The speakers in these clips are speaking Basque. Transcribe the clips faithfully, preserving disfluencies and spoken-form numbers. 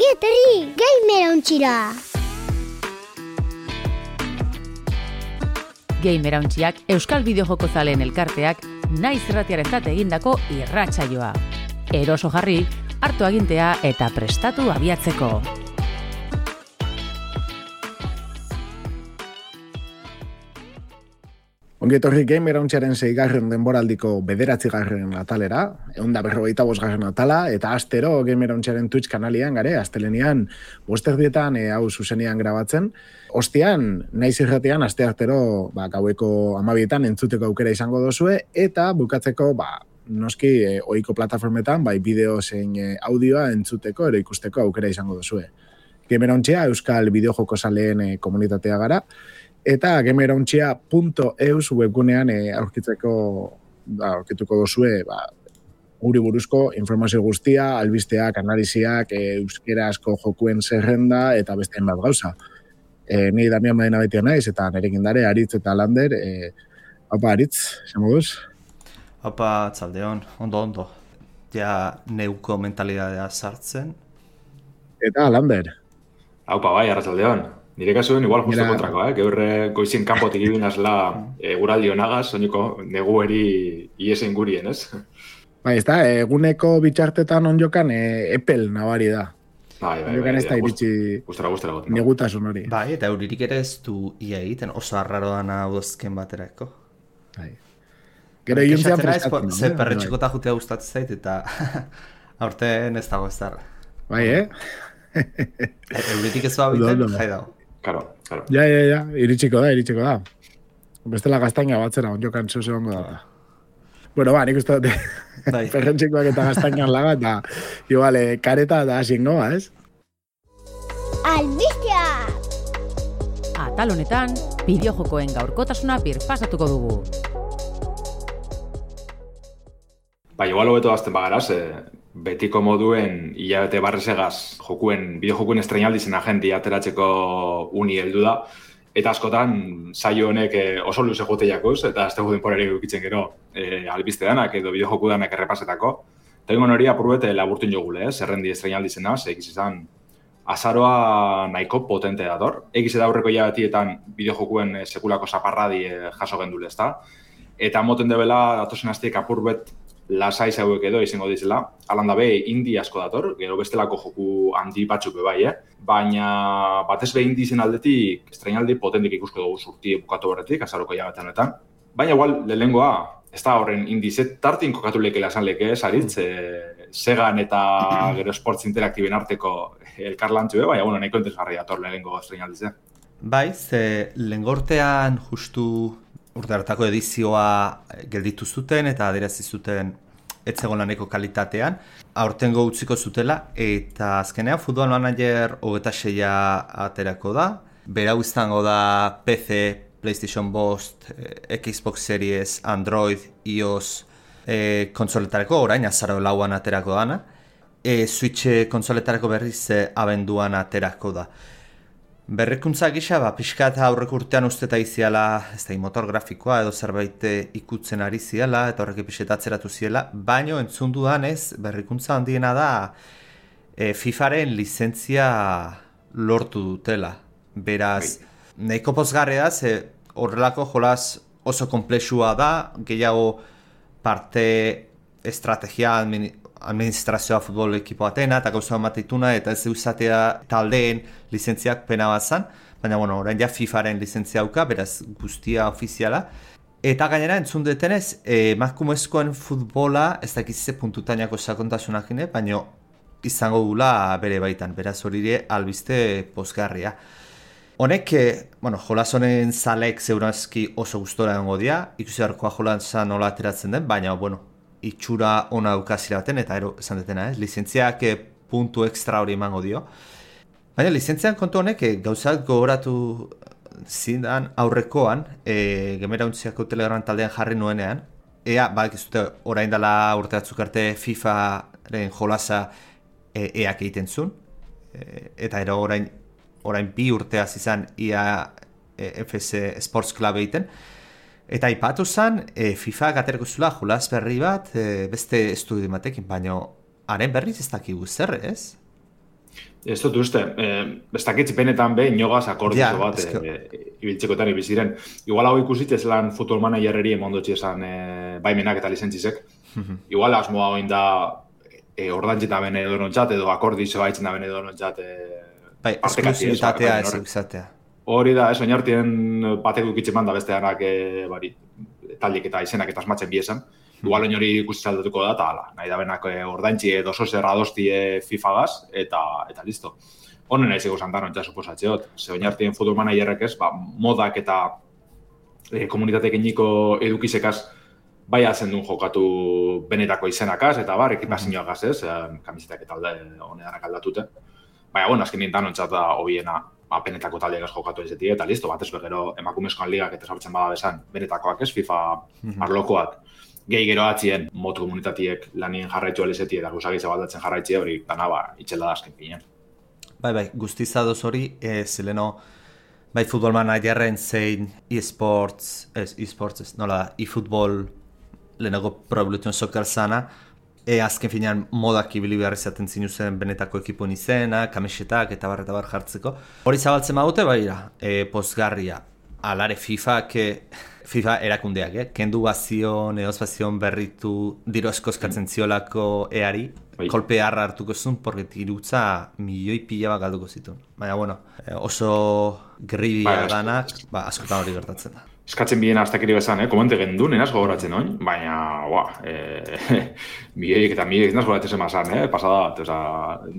Ongi etorri, Gamer Ontxira! Gamer Ontxiak Euskal Bideojoko zaleen elkarteak naiz irratiarentzat egindako irratsaioa. Eroso jarri, hartu agintea eta prestatu abiatzeko. Ongi etorri Gamer Ontxiaren seigarren denboraldiko bederatzigarren atalera, ehun eta berrogeita bosgarren atala, eta astero Gamer Ontxiaren Twitch kanalian gare, astelenean bosterdietan e, hau zuzenean grabatzen. Ostian, naiz irratian, aste artero ba, gaueko amabietan entzuteko aukera izango dozue, eta bukatzeko, ba, noski, e, ohiko plataformetan, bai bideo zein e, audioa entzuteko, ero ikusteko aukera izango dozue. Gamer Ontxia, Euskal Bideojoko zaleen e, komunitatea gara, eta gamerontxia punto eus webgunean e, aurkitzeko, ba, aurkituko dozue, ba, guri buruzko informazio guztia, albisteak, analiziak, e, euskerazko jokuen zerrenda, eta bestean bat gauza. E, Ni Damian Madena betia naiz, eta nerekin dare, Aritz eta Lander. E, Opa, Aritz, zer moduz? Opa, txaldeon, ondo, ondo. Ja, neuko mentalidadea sartzen. Eta Lander. Opa, bai, arratsaldeon. Nire kasuen igual justo Mira, kontrako, eh? Gaur goizien kanpotik ibinazla e, guraldi honagaz, soineko negueri iesen gurien, ez? Bai, ez da, eguneko bitxartetan onjokan e, epel nabari da. Bai, bai, Onjokan bai. ez da iritsi Gustara, gustara goten. negutasun hori. Bai, eta euririk ere ez du ia egiten, oso arraroan udazken baterako. Bai. Gero iuntzean Kexatzen naiz, freskatzen. po- Ze eh? perretxikota jutea gustatzen zait, eta aurten ez dago ez da. Bai, eh? Euririk ez du Ondo, abiten, ondo. jai dago. Claro, claro. Ja, ja, ja, iritsiko da, iritsiko da. Bestela gaztaina batzera, onjokan zuz egongo da. Bueno, ba, nik uste dute, Bai. perrentxikoak eta gaztainan laga, eta igual, eh, kareta da asingoa, ez? Albistea! Atal honetan, bideojokoen gaurkotasuna birpasatuko dugu. Bai, igual hobeto azten bagaraz, eh, betiko moduen hilabete barrezegaz jokuen, bideojokuen estrenaldi zen agenti ateratzeko uni heldu da. Eta askotan, saio honek eh, oso luze jote jakuz, eta azte guden porari edukitzen gero eh, albiste danak edo bideojoku danak errepasetako. Eta ingon hori apurbete laburtun jogule, eh? Zerrendi estrenaldi zena, ze egiz izan azaroa nahiko potente dator. Egiz eta aurreko hilabetietan bideojokuen eh, sekulako zaparradi eh, jaso gendule, ezta? Eta moten debela datozen astiek apurbet lasai zauek edo izango dizela. Alanda be, indi asko dator, gero bestelako joku handi batzuk be bai, eh? Baina batez be indi zen aldetik estrenaldi potentik ikusko dugu surti bukatu horretik, azaroko hilabetean honetan. Baina igual, lehengoa, ez da horren indizet tartin kokatu lekela esan leke, Saritz, e, Segan eta gero Sports Interaktiben arteko elkarlantzu, eh? Baina, bueno, nahiko entesgarri dator lehengo estrenaldize. Bai, ze lengortean justu urte hartako edizioa gelditu zuten eta adierazi zuten ez zegoen laneko kalitatean. Aurtengo utziko zutela eta azkenean Football Manager hogeita seia aterako da. Berau izango da P C, PlayStation bost, eh, Xbox Series, Android, iOS eh, konsoletarako orain azaro lauan aterako dana. E, Switch konsoletarako berriz eh, abenduan aterako da. Berrikuntza gisa, ba, pixka eta aurreko urtean usteta iziala, ez da, motor grafikoa edo zerbait ikutzen ari ziala, eta horrek epixeta atzeratu ziela, baino entzun dudanez, berrikuntza handiena da e, FIFAren lizentzia lortu dutela. Beraz, nahiko pozgarria da, ze horrelako jolaz oso komplexua da, gehiago parte estrategia, admin, administrazioa futbol ekipo atena eta gauza emateituna eta ez eusatea taldeen lizentziak pena bat zan, baina bueno, orain ja FIFAren lizentzia auka, beraz guztia ofiziala. Eta gainera entzun detenez, emakumezkoen futbola ez dakize puntutainako sakontasunak ine, baina izango gula bere baitan, beraz hori ere albiste pozgarria. Honek, bueno, jolas honen zalek zeurazki oso gustora egongo dira, ikusi harkoa jolasa nola ateratzen den, baina, bueno, itxura ona daukazira baten, eta ero esan detena, ez? Lizentziak eh, puntu extra hori emango dio. Baina lizentzian kontu honek eh, gauzak gogoratu zindan aurrekoan, eh, Gamerauntziako Telegram taldean jarri nuenean, ea, bak ez dute orain dela urte batzuk arte FIFaren jolasa eh, eak egiten zuen, eh, eta ero orain, orain bi urteaz izan ia eh, F S Sports Club egiten, eta aipatu zen, e, FIFA gaterako zula jolas berri bat, e, beste estudio batekin, baina haren berriz ez dakigu zer, ez? Ez dut uste, eh, ez dakitz benetan be, inogaz akordizo Ja, bat eske- eh, ibiltzekoetan ibiziren. Igual hau ikusitz ez lan futbol managerreri emondotxe esan eh, baimenak eta lizentzizek. Igual asmoa hoin da e, ordantxeta bene edonontzat edo akordizo haitzen da bene edonontzat e, Bai, esklusibitatea ez izatea. Hori da, ez, oinartien batek dukitzen man da beste danak e, bari, taldik eta izenak eta asmatzen biesan. Igual oin hori ikusi aldatuko da, eta ala, nahi da benak e, ordantxi edo sozer adosti e, FIFA-gaz, eta, eta listo. Honen nahi zego santan ontsa suposatzeot. Ze oinartien futbol managerrek ez, ba, modak eta e, komunitatek iniko edukizekaz bai hazen duen jokatu benetako izenakaz, eta bar, ekipazioakaz ez, e, kamisetak eta alde honedanak aldatute. Baina, bueno, azken nintan ontzat da hobiena benetako taldeak ez jokatu ezetik, eta listo, bat ez begero emakumezkoan ligak eta sartzen bada besan, benetakoak ez, FIFA arlokoak, gehi gero atzien motu komunitatiek lanien jarraitu alizeti eta guzagitza baldatzen jarraitzi hori, dana ba, itxela da azken pinean. Bai, bai, guztizadoz hori, e, zeleno, bai, futbol managerren zein e-sports, ez, e-sports, ez, nola da, e-futbol lehenago Pro Evolution Soccer zana, e, azken finean modak ibili behar izaten zinuzen benetako ekipun izena, kamisetak eta bar eta bar jartzeko. Hori zabaltzen badute, bai, e, pozgarria, alare FIFA, que FIFA erakundeak, eh? Kendu bazion, eozbazion berritu, diro eskoskatzen ziolako eari, Bai. kolpe harra hartuko zuen, porque dirutza milioi pila bat galduko zituen. Baina, bueno, oso gribia Bai, danak, ba, askotan hori gertatzen da. Eskatzen bien aztakiri bezan, eh? Komente gendun, enaz gogoratzen oin, baina, ua, eh, milioik eta milioik enaz gogoratzen zemazan, eh? Pasada bat, oza,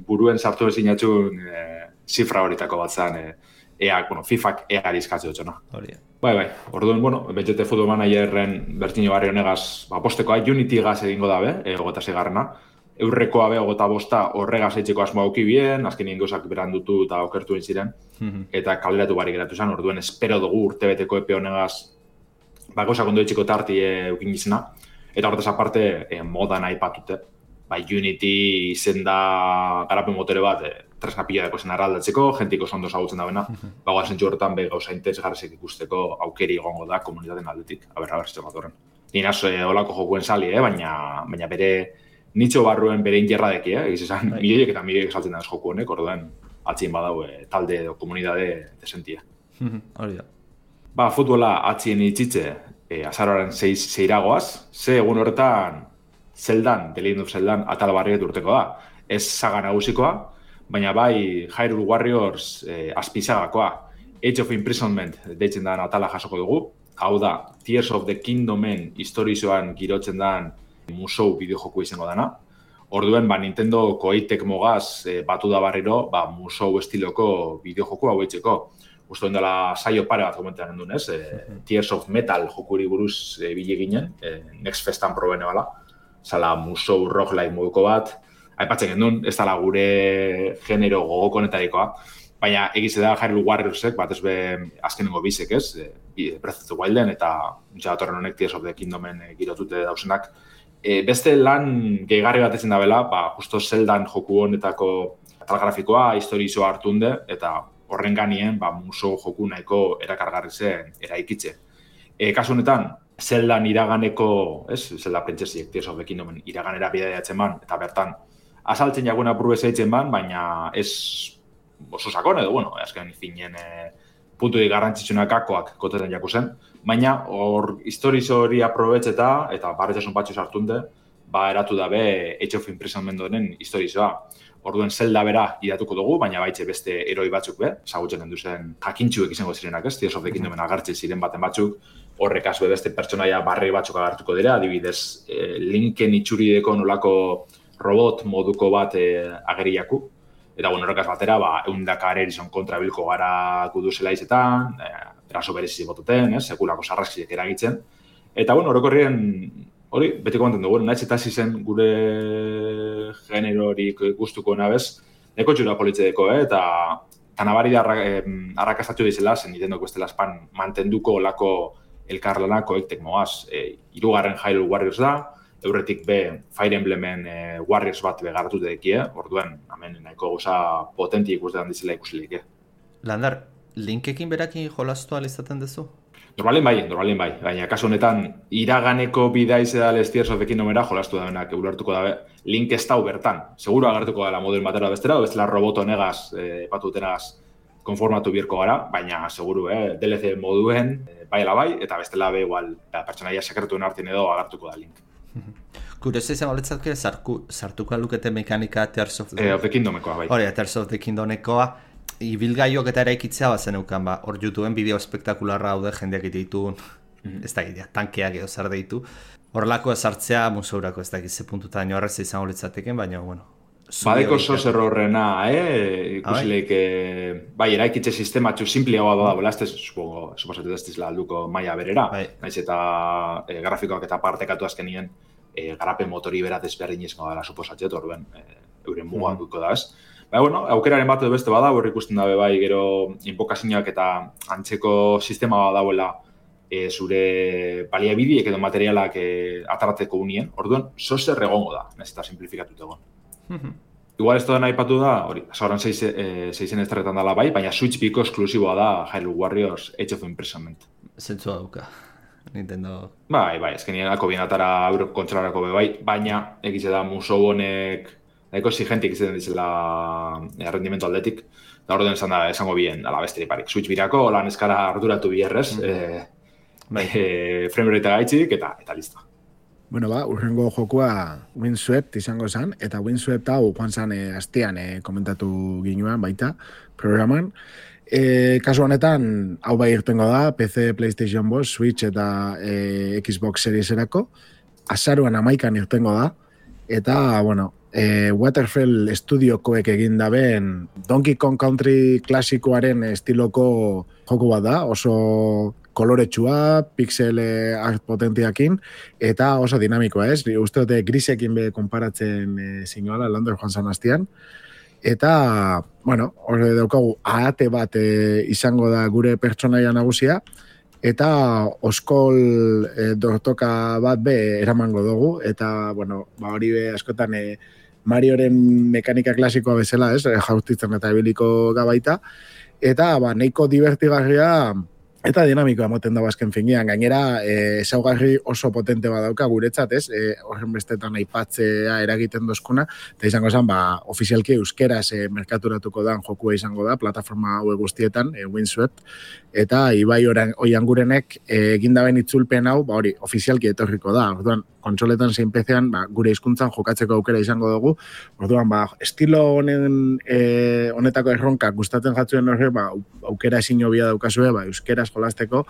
buruen sartu ezin atxun eh, zifra horitako bat zan, eh, ea, bueno, FIFAk eari eskatze dutxona. Hori. Bai, bai, orduan, bueno, betxete futbol managerren bertino barri honegaz, ba, postekoa, Unity gaz egingo dabe, e, ogeta zigarrena, eurrekoa be, ogeta bosta horregaz eitzeko asmoa auki bien, azkenien gauzak berandutu eta okertu ziren, eta kaleratu bari geratu zen, orduan, espero dugu urtebeteko epe honegaz, ba, gauzak ondo eitzeko tarti e, eukin gizena, eta horretaz aparte, e, modan aipatute, ba, Unity izen da garapen motore bat, e, tresna pila dako zen arraldatzeko, jentiko zondo zagutzen da bena, bagoa zentzu horretan be gauza interesgarrezek ikusteko aukeri egongo da komunitaten aldetik, aber, aber, zitzen bat horren. Ninaz, e, olako jokuen sali, eh? baina, baina bere nitxo barruen bere ingerradeki, eh? egiz esan, milioiek eta milioiek saltzen da ez joku honek, orduan, atzien badau e, talde edo komunidade desentia. Hori da. Ba, futbola atzien itxitze, e, azaroaren zeiragoaz, ze egun horretan, Zeldan, The Legend of Zeldan, atal barriet urteko da. Ez saga nagusikoa, baina bai Hyrule Warriors eh, azpizagakoa. Age of Imprisonment deitzen da atala jasoko dugu. Hau da, Tears of the Kingdomen historizoan girotzen dan musou bideojoku izango dana. Orduen, ba, Nintendo koeitek mogaz eh, batu da barriro, ba, musou estiloko bideojoku hau eitzeko. Usto dela saio pare bat komentean endun, ez? Eh, Tears of Metal jokuri buruz eh, bile ginen, eh, Next Festan probene bala. Zala musou roguelike moduko bat, aipatzen gendun, ez dala gure genero gogoko netarikoa, baina egize da Hyrule Warriorsek, bat ez be azkenengo bizek ez, e, Breath of the Wilden eta jatorren honek Tears of the Kingdomen e, girotute dausenak. E, beste lan gehigarri bat etzen da bela, ba, justo Zeldan joku honetako atal grafikoa, historizoa hartunde, eta horren ganien ba, musou joku nahiko erakargarri zen eraikitze. E, kasu honetan, Zeldan iraganeko, ez, Zelda Princessiek, Tears of the Kingdomen iraganera bidaiatzen ban, eta bertan, azaltzen jagoen apurbe zeitzen ban, baina ez oso sakon edo, bueno, azken finen e, puntuik garrantzitsunak kakoak kotetan jaku zen, baina hor historizo hori aprobetxeta, eta barretxasun batxu sartunde, ba eratu dabe Age of Imprisonment honen historizoa. Orduen Zelda bera idatuko dugu, baina baitxe beste eroi batzuk be, zagutzen den duzen jakintxuek izango zirenak ez, Tears of the Kingdomen agartzen ziren baten batzuk, horrek azbe beste pertsonaia barri batzuk agartuko dira, adibidez e, Linken itxurideko nolako robot moduko bat e, ageriaku. Eta bueno, horrekaz batera, ba, eundaka Arerison kontra bilko gara guduzela izetan, e, eraso berezizi botuten, ez, sekulako sarraskiek eragitzen. Eta bueno, horrekorrien, hori, betiko manten dugu, nahiz eta zen gure generorik gustuko nabez, neko txura politzeeko, eh? eta eta nabari da arrakastatu dizela, zen Nintendoko estela espan mantenduko olako elkarlanako ektek moaz. E, irugarren Hyrule Warriors da, eurretik be Fire Emblemen e, Warriors bat begaratu dedekie, orduan, hemen nahiko gauza potenti ikusten dizela ikusileik. Landar, Linkekin berakin jolastu alizaten duzu? Normalin bai, normalin bai. Baina, kasu honetan, iraganeko bidaiz edal Tears of the Kingdomera jolastu da benak, ulertuko dabe, link ez dau bertan. Seguro agertuko dela moduen batera bestera, bestela roboto negaz, eh, patutenagaz, konformatu birko gara, baina, seguru, eh, D L C moduen, eh, bai ala bai, eta bestela be, igual, pertsonaia sekretuen artien edo agertuko da link. Kurioso izan baletzatke, sartuko lukete mekanika Tears of the, eh, of the Kingdomekoa, bai. Hori, Tears of the Kingdomekoa, ibilgaiok eta eraikitzea bazen euken, ba, hor YouTubeen bideo espektakularra haude jendeak ditun, mm-hmm. ez da gitea, tankeak edo zer deitu. Horrelako ezartzea museurako ez da gizze puntuta nio arreza izango litzateken, baina, bueno. Badeko sos errorrena, eh? Ikusileik, eh, bai, eraikitze sistematxu simpliagoa da, bela, ez da, suposatu ez dizela alduko maia berera, bai. Naiz eta eh, grafikoak eta partekatu azkenien, eh, garapen motori bera desberdin izango dela suposatxet, orduen, eh, euren muga duko da, ez? Baina, bueno, aukeraren bat edo beste bada, hor ikusten dabe bai, gero inbokazioak eta antzeko sistema bat dauela e, zure baliabideek edo materialak e, atarateko unien, orduan, zozer egongo da, naiz eta simplifikatut egon. Igual ez da nahi patu da, hori, zauran seizen esterretan dela bai, baina Switch biko esklusiboa da Hyrule Warriors Age of Imprisonment. Zentzua dauka, Nintendo... Bai, bai, ezkenienako bienatara euro kontrolarako be bai, baina egize da musou honek nahiko zigentik izaten dizela errendimentu aldetik, da orduan esan da esango bien, ala besteri parik. Switch birako, lan eskara arduratu bierrez, mm. e, bai. e, frame rate gaitzik, eta, eta listo. Bueno, ba, urrengo jokua Windswept izango zen, eta Windswept hau joan zen e, astean e, komentatu ginuan baita programan. E, kasu honetan, hau bai irtengo da, P C, PlayStation bost, Switch eta e, Xbox Series erako. Azaruan amaikan irtengo da, eta, bueno, e, Waterfall Studiokoek egin daben Donkey Kong Country klasikoaren estiloko joku bat da, oso koloretsua, pixel art potentiakin, eta oso dinamikoa, ez? Uste dute grisekin be konparatzen e, zinuala, Lander joan zan hastian. Eta, bueno, hori daukagu, ahate bat e, izango da gure pertsonaia nagusia, eta oskol e, dortoka bat be eramango dugu, eta, bueno, ba hori be askotan e, Marioren mekanika klasikoa bezala, ez? Jautitzen eta ebiliko gabaita, eta, ba, nahiko divertigarria eta dinamikoa moten dago azken finean. Gainera, e, ezaugarri oso potente badauka guretzat, ez? E, horren bestetan aipatzea eragiten dozkuna, eta izango zen, ba, ofizialki euskeraz e, merkaturatuko dan jokua izango da, plataforma hau guztietan, e, Windswept, eta Ibai Oiangurenek e, egindaben itzulpen hau, ba, hori, ofizialki etorriko da. Orduan, kontsoletan zein P C-an, ba, gure hizkuntzan jokatzeko aukera izango dugu. Orduan, ba, estilo honen e, honetako erronkak gustatzen jatzuen horre, ba, aukera ezin hobia daukazue, ba, euskeraz jolasteko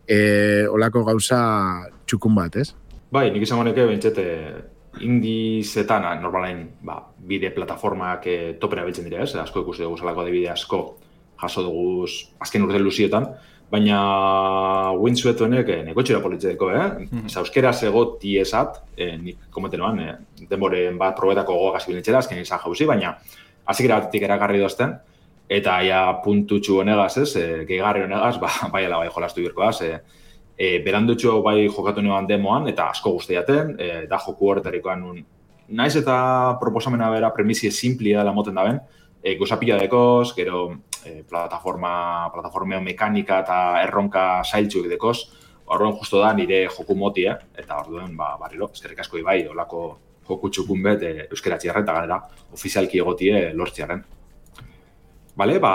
e, olako gauza txukun bat, ez? Bai, nik izango neke bentsete indizetan, normalain, ba, bide plataformak e, topera biltzen dira, ez? Asko ikusi dugu zelako adibide asko jaso dugu azken urte luzietan, baina Windswept honek eh, neko txera politzeko, eh? Mm-hmm. Euskera zegoti esat, eh, nik komentenoan, eh, denboren bat probetako gogoak azibilintzera, azken izan jauzi, baina azikera batetik eragarri dozten, eta ja puntutxu honegaz, ez, eh, gehigarri honegaz, ba, bai ala bai jolastu birkoaz, eh, eh, berandutxu bai jokatu neoan demoan, eta asko guztiaten, eh, da joku horretarikoan nun, naiz eta proposamena bera premisie simplia dela moten daben, e, gozapila dekoz, gero e, plataforma, plataformeo mekanika eta erronka sailtxuk dekoz, horren justo da nire joku motia, eta orduen, ba, barriro, eskerrik asko ibai, olako joku txukun bet e, euskeratziarren, eta galera, ofizialki egotie lortziarren. Bale, ba,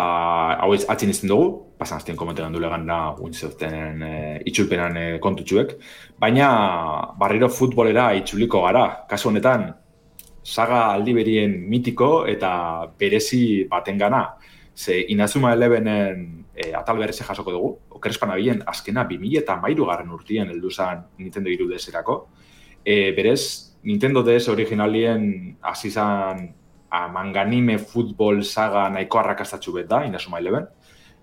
hau atxin izten dugu, pasan aztien komentean dule gana Windsoften e, itxulpenan e, kontutxuek, baina barriro futbolera itxuliko gara, kasu honetan, saga aldiberien mitiko eta berezi batengana. Ze Inazuma Elevenen e, atal bereze jasoko dugu, okerespana bilen azkena bi mila hamairu garren urtien heldu zen Nintendo hiru D S-erako. E, berez, Nintendo D S originalien hasi zen manganime futbol saga nahiko arrakastatxu bet da, Inazuma Eleven.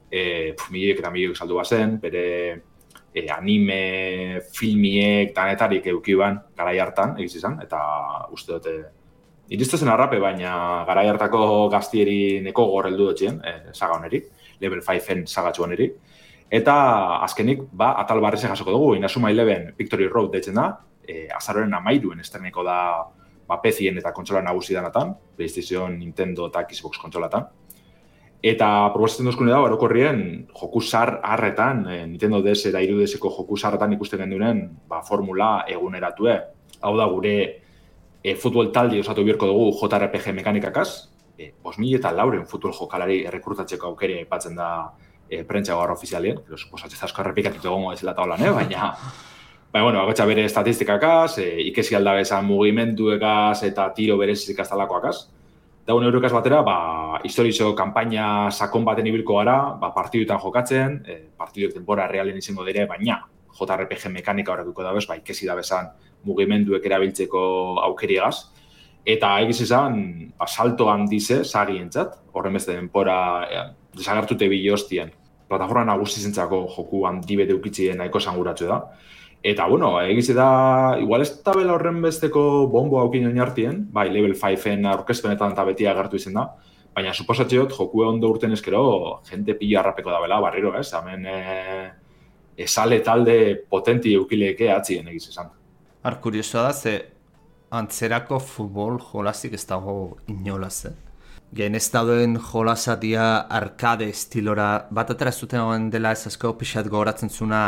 E, miliek eta miliek saldu bazen, bere e, anime, filmiek, danetarik eukiban garai hartan, egiz izan, eta uste dute Iristezen arrape, baina garai hartako gaztieri neko gorreldu dutxien, eh, saga honeri, level five-en sagatxu honeri. Eta azkenik, ba, atal barrize jasoko dugu, Inazuma Eleven Victory Road deitzen da, eh, azaroren amairuen estreneko da ba, P C-en eta kontsola nagusi danatan, PlayStation, Nintendo eta Xbox kontsolatan. Eta proposatzen duzkune da, orokorrien, joku zar harretan, e, Nintendo D S eta hiru D S-eko joku zarretan ikusten gendunen, ba, formula eguneratue. Hau da, gure e, futbol taldi osatu bierko dugu J R P G mekanikakaz, e, bost mila eta lauren futbol jokalari errekrutatzeko aukeri aipatzen da e, prentsa gaur ofizialien, pero suposatzen asko errepikatutu egongo ez lata holan, eh? baina, baina, bueno, agotxa bere estatistikakaz, e, ikesi aldabezan mugimenduekaz eta tiro berezik aztalakoakaz. Daun eurokaz batera, ba, historizo kanpaina sakon baten ibilko gara, ba, partiduetan jokatzen, e, partiduek denbora realen izango dire, baina J R P G mekanika horrekuko dabez, ba, ikesi dabezan mugimenduek erabiltzeko aukeriagaz. Eta egiz izan, ba, salto handize, zagientzat, horren beste denbora e, desagertute bilostien. Plataforma nagusizentzako joku handi bete ukitzien nahiko sanguratzu da. Eta, bueno, egize da, igual ez tabela horren besteko bombo haukin oinartien, bai, level cineen aurkezpenetan eta beti agertu izen da, baina suposatzeot, joku ondo urten eskero, jente pila harrapeko da bela, barriro, ez? Hemen, e, esale talde potenti eukileke atzien egiz esan. Ar, kuriosoa da, ze antzerako futbol jolazik ez dago inolaz, eh? Gen ez dauden jolasatia arkade estilora, bat atera zuten hauen dela ez asko pixat gogoratzen zuna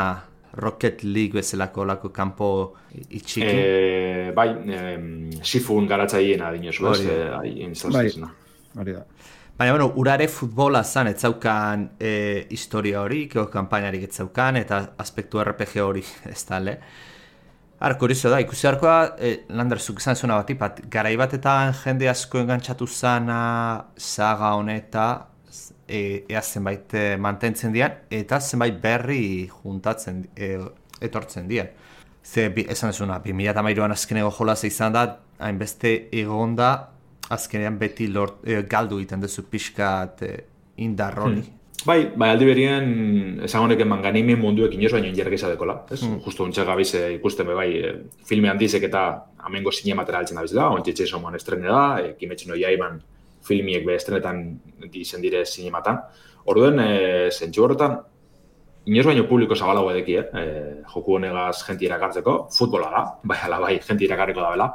Rocket League bezalako lako kanpo itxiki? E, bai, e, Sifun garatzaiena dinezu, ez? E, bai, hori da. Baina, bueno, urare futbola zan, ez zaukan e, historia hori, keo kampainarik ez zaukan, eta aspektu R P G hori ez tale. Ar, kurioso da, ikusi harkoa, e, Lander, zuk izan zuna bat, bat, garai batetan jende asko engantzatu zana saga honeta, E, ea zenbait e, mantentzen dian, eta zenbait berri juntatzen, e, etortzen dian. Ze, bi, esan ezuna, bi mila hamairuan azkenego jolaz izan da, hainbeste egonda, azkenean beti lort, e, galdu egiten duzu pixkat e, indarroni. Hmm. Bai, bai, aldi berien, esan honeken manganimin munduek inoz baino injergeza dekola, ez? Hmm. Justo untxek gabiz e, ikusten be bai, e, filme handizek eta amengo zinematera altzen dabiz da, ontxetxe somoan estrene da, e, kimetxino jaiban, filmiek be estrenetan izen dire zinematan. Orduen, e, zentsu horretan, inoz baino publiko zabalago edeki, eh? E, joku honegaz jenti irakartzeko, futbola da, bai ala bai, jenti irakarriko da bela.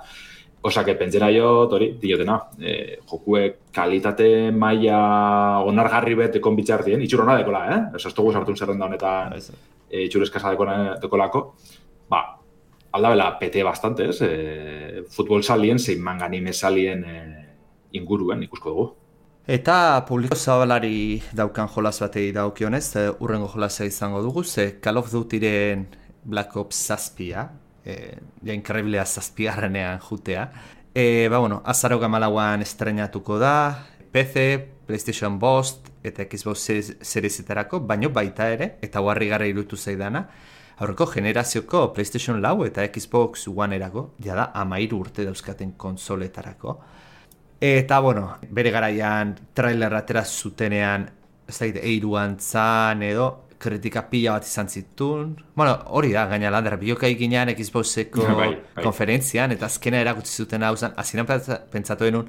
Osake, pentsera jo, tori, diotena, e, jokuek kalitate maila onargarri bet ekon bitxartien, itxurona dekola, eh? Osa, ez dugu sartun zerrenda honetan e, itxurezkasa dekolako, ba, aldabela pete bastante, ez? E, futbol salien, zein manganime salien e, inguruen ikusko dugu. Eta publiko zabalari daukan jolas batei daukionez, urrengo jolasa izango dugu, ze Call of Dutyren Black Ops zazpia, e, ja inkarriblea zazpiarrenean jutea. E, ba, bueno, azaro gamalauan estrenatuko da, P C, PlayStation bost eta Xbox Seriesetarako, baino baita ere, eta huarri gara irutu zaidana, aurreko generazioko PlayStation lau eta Xbox One erako, jada amairu urte dauzkaten konsoletarako. Eta, bueno, bere garaian trailer atera zutenean, ez da, eiruan zan edo, kritika pila bat izan zituen. Bueno, hori da, gaina Lander, biokai ginean Xboxeko bai, bai. konferentzian, eta azkena erakutsi zuten hau zen, azinan pentsatu denun,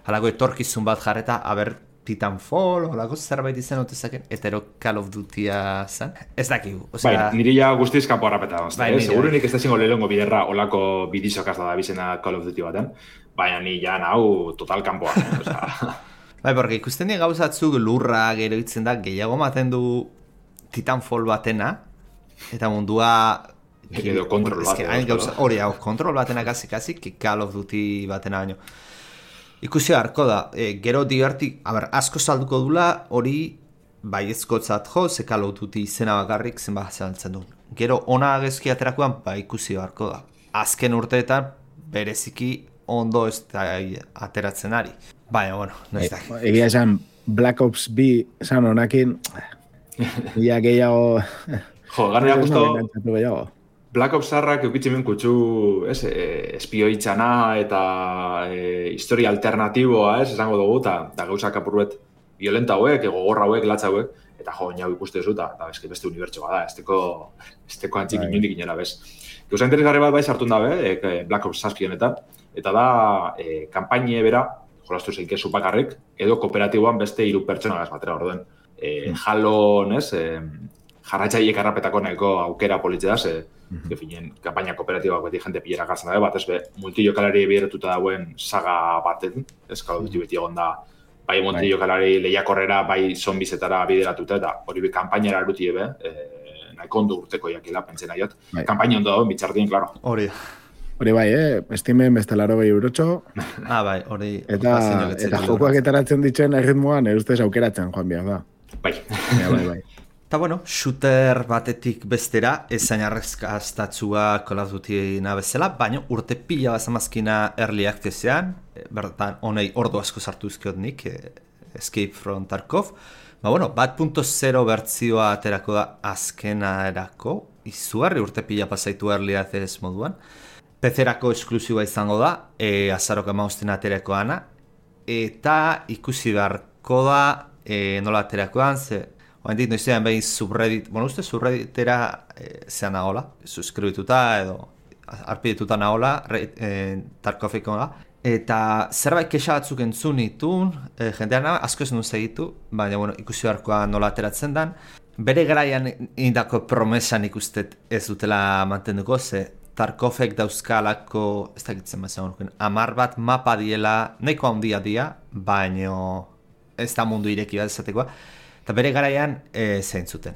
halako etorkizun bat jarreta, haber Titanfall, halako zerbait izan otezaken, eta ero Call of Dutya zen. Ez dakigu. Bai, niri ja guztiz kanpo harrapeta. Bai, eh? Segurunik ez da zingo lehengo biderra olako bidizokaz da bizena Call of Duty baten. Baina ni ja hau total kanpoa. Eh? Osa... bai, porque ikusten dien gauzatzuk lurra gero itzen da, gehiago maten du Titanfall batena, eta mundua... Edo kontrol bat. Hori, hau, kontrol batena kasi-kasi, Call of Duty batena baino. Ikusi harko da, e, gero divertik, aber, asko salduko dula, hori bai ezkotzat jo, ze Call of Duty izena bakarrik zenba zalantzen du. Gero ona gezki aterakoan, bai ikusi harko da. Azken urteetan, bereziki ondo ez da ateratzen ari. Baina, bueno, no ez da. Egia esan, Black Ops bi esan honakin, ia gehiago... Jo, garria justo... Black Ops zarrak eukitzimen kutsu, ez, e, espioitzana eta e, historia alternatiboa, ez, esango dugu, eta gauzak apurruet violenta hauek, gogorra hauek, latza hauek, eta jo, nau ikuste zu, eta eski beste unibertsoa da, esteko, esteko antzik inundik inera, bez. Gauza interesgarri bat bai sartun dabe, e, Black Ops zazpi honetan, eta da, e, kampaine bera, jolastu zeike zupakarrik, edo kooperatiboan beste hiru pertsona gaz batera orduen. E, Jalon, ez, e, jarratxaiek arrapetako nahiko aukera politze da, ze, mm-hmm. Gefinen, kampaina kooperatibak beti jente pilera gartzen dabe, bat ez be, multijokalari bideretuta dauen saga baten, ez, Call of Duty beti egon da bai Monti jokalari lehiakorrera, bai zombizetara bideratuta, eta hori bi kanpainera eruti ebe, e, nahiko ondo urteko jakila, pentsena jot. Bai. Kanpaina ondo dago, bitxardien, klaro. Hori. Hori bai, eh? Estimen beste laro behi eurotxo. Ah, bai, hori. Eta, eta jokoak etaratzen dituen erritmoan, erustez aukeratzen, joan behar da. Bai. Ja, bai, bai. Eta bueno, shooter batetik bestera, ezain arrezkaztatzua Call of Duty nabezela, baina urte pila bazamazkina early accessean, bertan honei ordu asko sartu izkiot nik, Escape from Tarkov. Ba bueno, bat punto zero bertzioa aterako da azkena erako, izugarri urte pila pasaitu early access moduan. P C-erako esklusiba izango da, e, azarok amausten aterako ana, eta ikusi beharko da e, nola aterakoan, ze oain dit noizean behin subreddit, bueno, uste subredditera e, zean nagola, suskribituta edo arpidituta nagola, e, Tarkoviko da, eta zerbait kexa batzuk entzun itun, e, jendean nago, asko ez nuen segitu, baina bueno, ikusi beharkoa nola ateratzen dan, bere garaian indako promesan ikustet ez dutela mantenduko, ze Tarkovek dauzkalako, ez dakitzen mazan honuken, amar bat mapa diela, nahiko handia dia, baino ez da mundu ireki bat esatekoa, eta bere garaian e, zein zuten.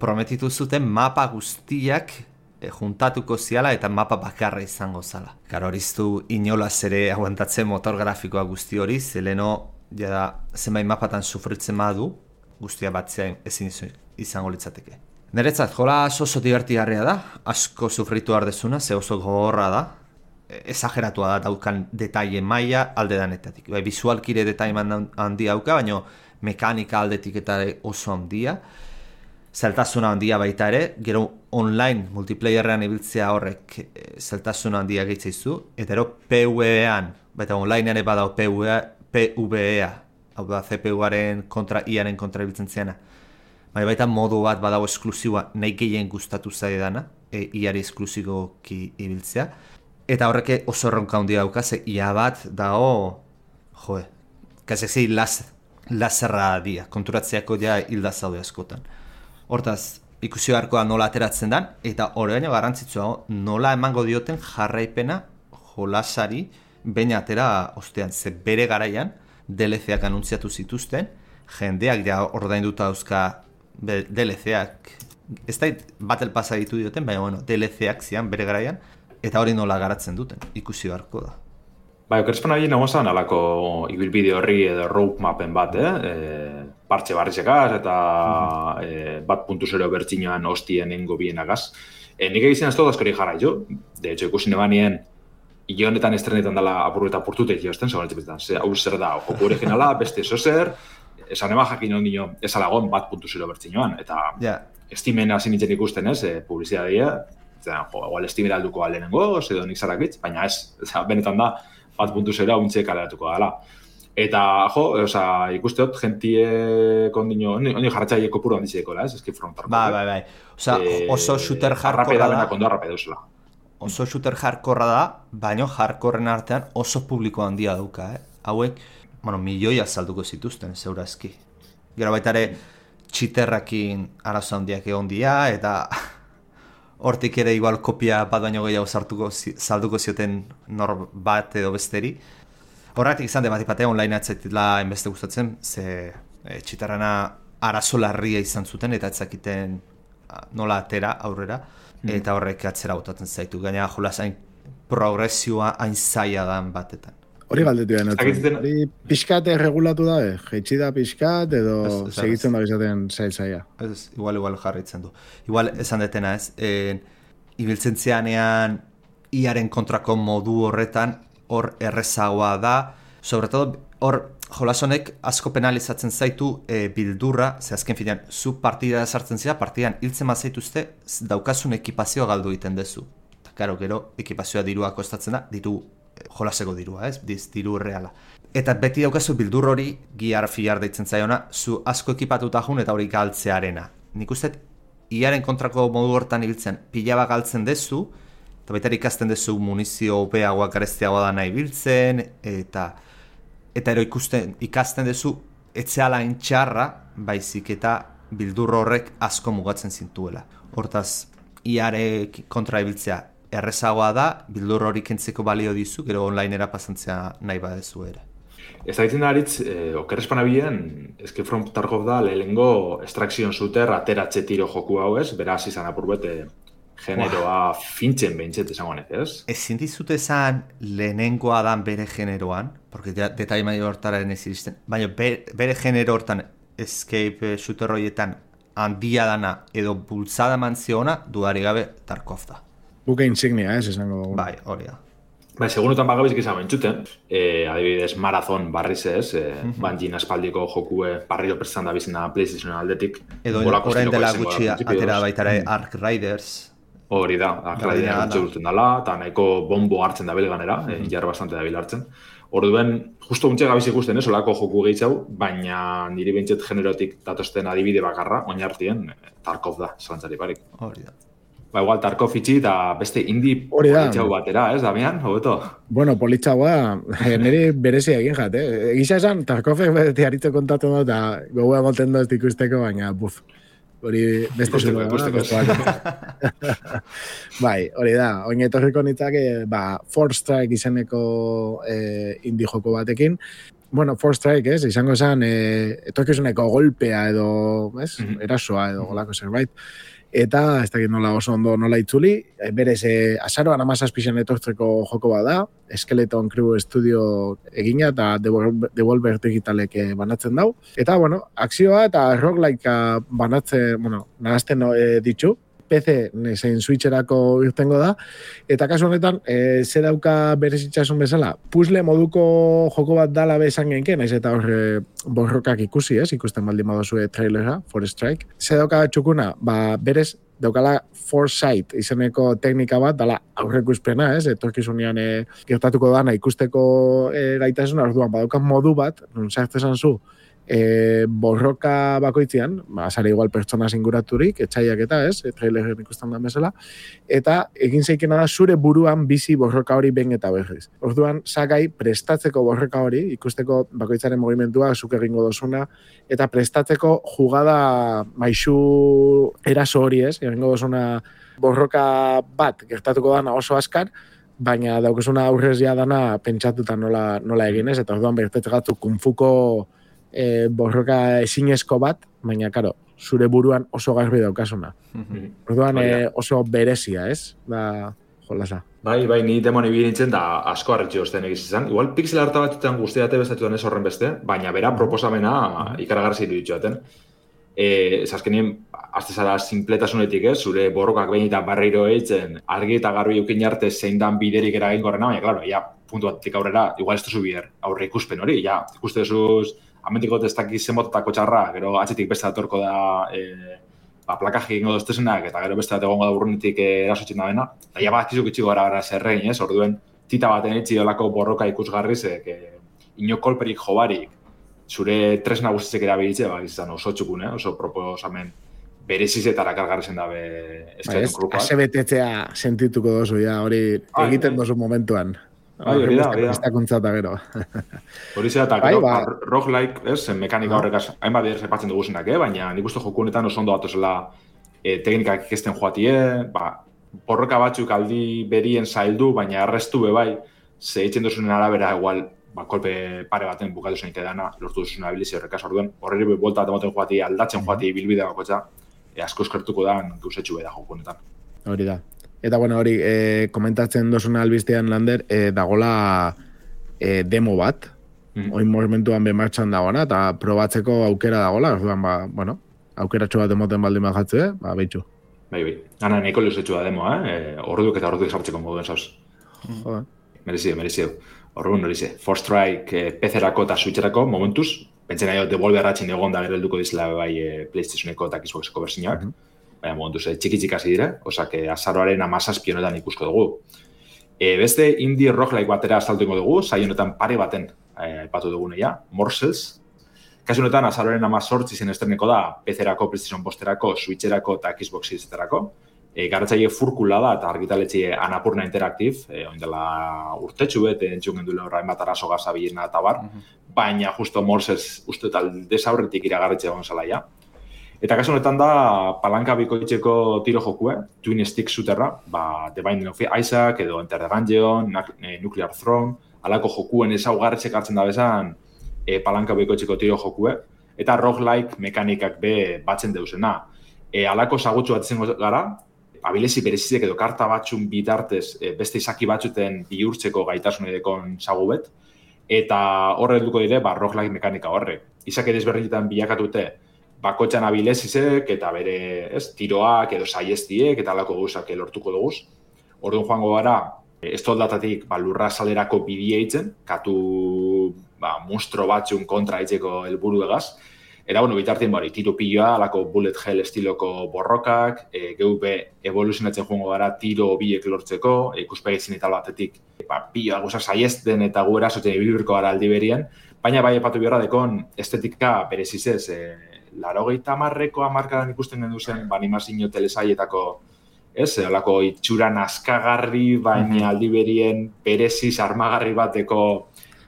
Prometitu zuten mapa guztiak e, juntatuko ziala eta mapa bakarra izango zala. Karo horiztu inolaz ere aguantatzen motor grafikoa guzti hori, zeleno jada zenbait mapatan sufritzen badu, guztia batzea ezin izango litzateke. Niretzat, jola oso divertigarria da, asko sufritu ardezuna, ze oso gogorra da, exageratua da daukan detaile maila alde danetatik. Bai, visualkire detaile handia dauka, baina mekanika aldetik eta oso handia, zeltasuna handia baita ere, gero online multiplayerrean ibiltzea horrek zeltasuna handia gehitzaizu, eta ero P V E-an, baita onlinean eba dao P V E-a, hau da C P U-aren kontra I-aren kontra ibiltzen ziana. Bai, baita modu bat badago esklusiboa nahi gehien gustatu zaidana, e, I-ari esklusiboki ibiltzea, eta horrek oso erronka handia dauka, ze ia bat dago, joe, kasezi las, laserra dia, konturatzeako ja hilda zaude askotan. Hortaz, ikusi beharko da nola ateratzen dan, eta hori baino garrantzitsua nola emango dioten jarraipena jolasari baina atera ostean, ze bere garaian D L C-ak anuntziatu zituzten, jendeak ja ordainduta dauzka D L C-ak, ez da Battle Passa ditu dioten, baina bueno, D L C-ak zian bere garaian, eta hori nola garatzen duten, ikusi beharko da. Bai, okerespan ari nagoazan alako ibilbide horri edo roadmapen bat, eh? E, partxe barrizekaz eta mm-hmm. e, bat puntu zero bertxinoan hostien engo bienagaz. E, nik egizien ez dut askori jarra jo, de hecho ikusi nebanien hile honetan estrenetan dela apurru eta apurtutek jozten, segon etxepetan, ze hau zer da, joku originala, beste zozer, esan ema jakin ondino ez alagon bat puntu zero bertxinoan, eta yeah. Estimen hasi nintzen ikusten ez, e, publizitatea, jo, igual estimera alduko alenengo, edo nik zarakitz, baina ez, eza, benetan da, bat puntu zero hauntxe kaleratuko dela. Eta, jo, oza, ikusteot, gentie kondino, ondi jarratxaile kopuru handizeko, ez? Escape from Tarkov. Bai, bai, bai. Oza, e, oso shooter hardcore da. Benak ondo arrape duzela. Oso shooter hardcore da, baina hardcoreen artean oso publiko handia dauka, eh? Hauek, bueno, milioia salduko zituzten, zeurazki. Gero baita ere, txiterrakin arazo handiak egon dia, eta hortik ere igual kopia bat baino gehiago sartuko, salduko zioten nor bat edo besteri. Horretik izan de bat ipatea online atzaitila enbeste gustatzen, ze e, txiterrana arazo larria izan zuten, eta etzakiten nola atera aurrera, mm. eta horrek atzera botatzen zaitu. Gaina jolas hain progresioa hain zaila dan batetan. Hori galdetu da, hori pixkat erregulatu da, eh? Jeitsi da pixkat edo ez, ez, segitzen da izaten zail-zaila. Ez, igual, igual jarritzen du. Igual, esan detena ez, e, ibiltzen zianean iaren kontrako modu horretan, hor errezagoa da, sobre todo, hor jolasonek asko penalizatzen zaitu e, bildurra, ze azken finean, zu partida sartzen zira, partidan hiltzen mazaituzte, daukasun ekipazioa galdu egiten dezu. Eta, karo, gero, ekipazioa dirua kostatzen da, diru jolaseko dirua, ez? Diz, diru reala. Eta beti daukazu bildur hori, giar fiar deitzen zaiona, zu asko ekipatuta jun eta hori galtzearena. Nik uste, iaren kontrako modu hortan ibiltzen, pilaba galtzen dezu, eta baita ikasten dezu munizio opeagoa, gareztiagoa da nahi biltzen, eta eta ero ikusten, ikasten dezu, etzeala intxarra, baizik eta bildur horrek asko mugatzen zintuela. Hortaz, iare kontra ibiltzea, errezagoa da, bildur hori kentzeko balio dizu, gero onlinera pasantzea nahi badezu ere. Ez da ditzen da haritz, eh, okerrespanabilen, Escape from Tarkov da lehengo extraction shooter ateratxe tiro joku hau ez, beraz izan apurbete generoa fintzen behintzet esango honek, ez? Ezin dizut esan lehenengoa dan bere generoan, porque ja, detai maio hortaren ez iristen, baina bere, bere genero hortan escape shooter horietan handia dana edo bultzada mantziona dudarik gabe Tarkov da. Buke insignia, ez, esango dugu. Bai, hori da. Bai, segunutan bagabezik izan bentsuten, e, adibidez Marathon barriz ez, e, mm-hmm. Banjin aspaldiko jokue barriro prestan da bizena PlayStation aldetik. Edo orain dela gutxi atera baitare mm. Ark Riders. Hori da, Ark Riders gutxe urten dela, eta nahiko bombo hartzen da belganera, mm-hmm. e, jarra bastante da bil hartzen. Orduen, justo untxe gabiz ikusten, ez, olako joku gehitzau, baina niri bentsет generotik datosten adibide bakarra, oinartien, Tarkov da, zalantzari barik. Hori da. Ba, igual, Tarkov itxi eta beste indie politxau batera, ez, Damian, hobeto? Bueno, politxaua, niri berezia egin jat, eh? Egisa esan, Tarkov beti haritze kontatzen da, eta gogoa moten dut ikusteko, baina, buf, hori beste zuru. Bai, hori da, oin etorriko nitzak, ba, Four Strike izeneko eh, indie joko batekin. Bueno, Four Strike, ez, izango esan, eh, etorkizuneko golpea edo, ez, mm-hmm. erasoa edo golako zerbait. Eta, ez dakit nola oso ondo nola itzuli, berez, eh, azaroan amazazpixen etortzeko joko bat da, Skeleton Crew Studio egina eta Devolver Digitalek banatzen dau. Eta, bueno, akzioa eta roguelike banatzen, bueno, nahazten eh, ditzu, P C zein Switcherako irtengo da, eta kasu honetan, e, ze dauka berezitzasun bezala, puzzle moduko joko bat dala bezan genken, naiz eta horre borrokak ikusi, ez, ikusten baldin badozue trailera, Four Strike. Ze dauka txukuna, ba, berez, daukala Foresight izeneko teknika bat, dala aurrekuspena, ez, etorkizunean e, gertatuko dana ikusteko e, gaitasuna, orduan, badauka modu bat, nun sartzen zu, E, borroka bakoitzean, ba, azare igual pertsona singuraturik, etxaiak eta ez, e, traileren ikusten da bezala, eta egin zeikena da zure buruan bizi borroka hori behin eta berriz. Orduan, sakai prestatzeko borroka hori, ikusteko bakoitzaren movimentua, zuk egingo dozuna, eta prestatzeko jugada maisu eraso hori ez, egingo dozuna borroka bat gertatuko dana oso askar, baina daukesuna aurrez ja dana pentsatuta nola, nola egin ez, eta orduan bertetze gatu kunfuko E, borroka ezinezko bat, baina, karo, zure buruan oso garbi daukasuna. Mm-hmm. Orduan e, oso berezia, ez? Da, jolasa. Bai, bai, ni demoni bi nintzen da asko harritxo osten egiz izan. Igual pixel harta batzutan guztiate bestatuan ez horren beste, baina bera proposamena ikaragarri zitu ditxoaten. E, ez azkenien, azte zara simpletasunetik, ez? Zure borrokak behin eta barreiro eitzen, argi eta garbi eukin arte zein dan biderik eragin gorrena, baina, klaro, ja, puntu batik aurrera, igual ez duzu bier aurre ikuspen hori, ja, ikuste duzuz, amentiko ez dakiz zenbototako txarra, gero atzetik beste datorko da e, ba, plakaji egingo doztezenak, eta gero beste bat egongo da burrunetik erasotzen da bena. Eta ja bat kizuk itxiko gara gara zerrein, ez? Orduen, tita baten etxi olako borroka ikusgarrizek, e, ino kolperik jobarik, zure tresna guztitzek erabilitze, ba, izan oso txukun, eh? Oso proposamen berezizetara kargarrezen dabe eskaiton grupak. Ase betetzea sentituko dozu, ja, hori egiten dozu momentuan. Bai, hori da, hori da. Estakuntzata gero. Hori zera, eta gero, ba, roguelike, ez, mekanika horrekaz, hainbat bider zepatzen duguzenak, eh? Baina nik uste joku honetan oso ondo datozela e, teknikak ikesten joatie, ba, borroka batzuk aldi berien zaildu, baina arrestu be bai, ze eitzen duzunen arabera, igual, ba, kolpe pare baten bukatu zen dana, lortu duzunen abilizio horrekaz orduen, horreri be bolta bat ematen joatie, aldatzen joatie bilbide bakotza, e, asko eskertuko da, gauzetxu be da joku honetan. Hori da. Eta, bueno, hori, e, komentatzen dozuna albistean, Lander, e, dagola e, demo bat, mm-hmm. oin momentuan bemartxan dagoena, eta probatzeko aukera dagola, orduan, ba, bueno, aukeratxo bat emoten baldin bat jatzu, eh? Ba, behitxu. Bai, bai. Gana, nahiko leuzetxu da demoa, eh? E, orduak eta orduak sartzeko moduen, zauz. Joder. Merezio, merezio. Orduan, hori ze, Four Strike, e, P C-erako eta Switcherako momentuz, pentsen nahi Devolver ratxin egon da gero helduko dizela bai e, PlayStationeko eta Xboxeko bersinak, mm-hmm. Baina momentuz, eh, txiki-txik hasi dire, osak azaroaren amazazpi honetan ikusko dugu. E, beste indie roguelike batera azaltuko dugu, zai honetan pare baten aipatu eh, dugu neia, Morsels. Kasu honetan, azaroaren amazortzi zen esterneko da, P C-erako, PlayStation posterako, Switcherako eta Xbox Series-etarako. E, Garatzaile furkula da eta argitaletxe Anapurna Interactive, e, oindela urtetxu bet, entzun gendule horra enbat arazo gaza bilena eta bar, uh-huh. Baina justo Morsels uste eta desaurretik iragarretxe egon zelaia. Eta kasu honetan da, palanka bikoitzeko tiro jokue, Twin Stick shooterra, ba, The Binding of Isaac, edo Enter the Gungeon, Nuclear Throne, alako jokuen ezaugarritzek hartzen da bezan e, palanka bekoitzeko tiro jokue, eta roguelike mekanikak be batzen deuzena. E, alako zagutxu bat izango gara, abilezi berezizek edo karta batxun bitartez e, beste izaki batzuten bihurtzeko gaitasun edekon zagubet, eta horre duko dire, ba, roguelike mekanika horrek. Izak edezberdinetan bilakatute, bakotxan abilezizek eta bere ez, tiroak edo saiestiek eta alako gauzak lortuko duguz. Orduan joango gara, ez toldatatik ba, lurra salerako bidea itzen, katu ba, monstro batzun kontra itzeko helburu egaz. Eta, bueno, bitartien bari, tiro piloa, alako bullet hell estiloko borrokak, e, geu be evoluzionatzen joango gara tiro biek lortzeko, e, ikuspegizien eta batetik, ba, piloa guzak saiesten eta gu erasotzen ibilbirko gara aldi berien, baina bai epatu biorra dekon estetika berezizez, e, larogeita marreko amarkadan ikusten gendu zen, ba, animazio telesaietako, ez, alako itxura naskagarri, baina aldi berien bereziz armagarri bateko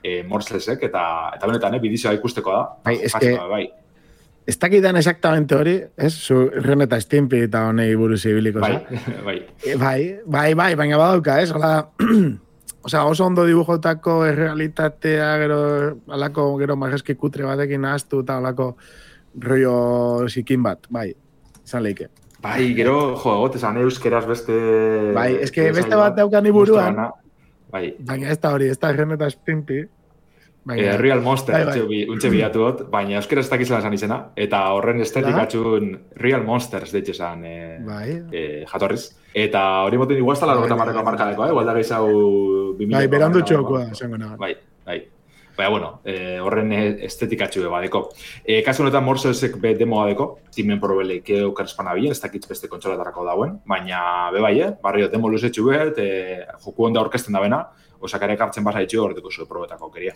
e, morslesek, eta, eta benetan, eh, bidizioa ikusteko da. Bai, eske... Bai. Ez dakidan exactamente hori, ez? Zu Ren eta Stimpy eta honei buruz ibiliko, bai, bai, bai. Bai, bai, baina badauka, ez? Ola, osea, oso ondo dibujotako errealitatea, gero, alako, gero marreski kutre batekin ahaztu eta alako rollo zikin bat, bai, izan leike. Bai, gero, jo, gotezan euskeraz beste... Bai, eske beste bat daukan iburuan, bai. Baina ez da hori, ez da Ren eta Stimpy. Eh, Real Monster, bai, bai. untxe bilatu dut, baina euskera ez dakizela esan izena, eta horren estetikatxun Real Monsters deitxe esan eh, bai. eh, jatorriz. Eta hori moten igual ez da largota marreko markadeko, eh? igual da gehiago... Bai, berandu txokoa, esango nago. Bai, bai. Baina, bueno, eh, horren estetikatxu badeko. Eh, kasu honetan Morsesek be demoa deko, timen probeleike okarespana bien, ez dakitz beste kontsolatarako dauen, baina be bai, eh? Barrio, demo luzetxu bet, eh, joku onda orkesten da bena, osakarek hartzen basa itxu horretiko zuen probetako keria.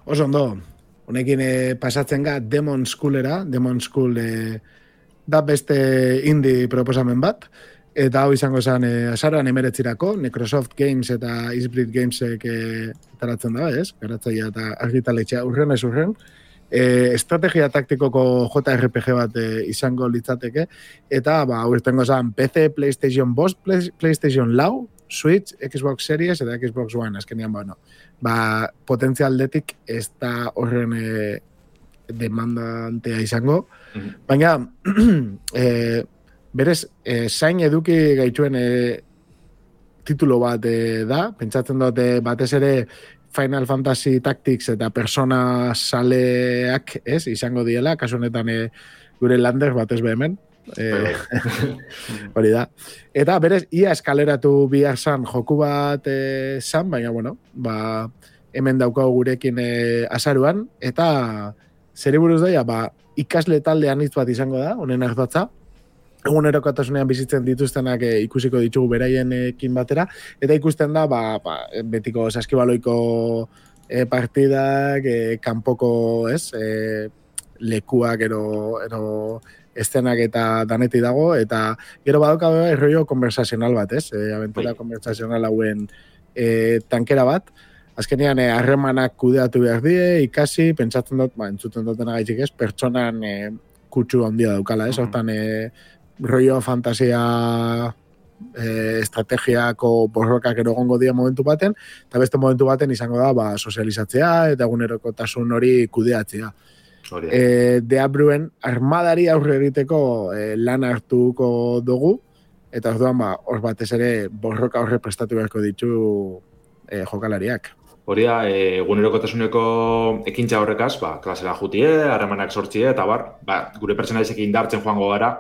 Oso ondo, honekin eh, pasatzen ga Demon Schoolera, Demon School eh, da beste indie proposamen bat, eta hau izango zen eh, azaroan emeretzirako, Necrosoft Games eta Eastbreed Gamesek eh, taratzen da, ez? Garatzaia eta argitaletxea urren ez urren. Eh, estrategia taktikoko J R P G bat eh, izango litzateke, eta ba, urtengo zen P C, PlayStation bost, Play, PlayStation lau, Switch, Xbox Series eta Xbox One, azkenian, bueno, ba, potentzialdetik ez da horren e, demandantea izango, mm-hmm. baina, e, berez, e, zain eduki gaituen e, titulo bat e, da, pentsatzen dute batez ere Final Fantasy Tactics eta Persona saleak, ez, izango diela, kasu honetan e, gure lander batez behemen, Eh, hori da. Eta berez, ia eskaleratu bihar zan joku bat eh, zan, baina, bueno, ba, hemen daukagu gurekin eh, azaruan, eta zeri buruz daia, ba, ikasle talde anitz bat izango da, honen ardatza, egunerokotasunean bizitzen dituztenak eh, ikusiko ditugu beraienekin batera, eta ikusten da, ba, ba, betiko saskibaloiko eh, partidak, eh, kanpoko, ez, eh, lekuak, ero, ero estenak eta daneti dago, eta gero badauka erroio konversazional bat, ez? E, aventura konversazional hauen e, tankera bat. Azkenean, harremanak e, kudeatu behar die, ikasi, pentsatzen dut, ba, entzuten duten agaitzik ez, pertsonan e, kutsu handia daukala, ez? Hortan, e, rollo fantasia e, estrategiako borrokak erogongo dia momentu baten, eta beste momentu baten izango da, ba, sozializatzea, eta egunerokotasun hori kudeatzea. E, deabruen armadari aurre egiteko e, lan hartuko dugu, eta orduan ba, hor batez ere borroka horre prestatu beharko ditu e, jokalariak. Hori da, e, egunerokotasuneko ekintza horrekaz, ba, klasera jutie, harremanak sortzie, eta bar, ba, gure pertsonalizek indartzen joango gara,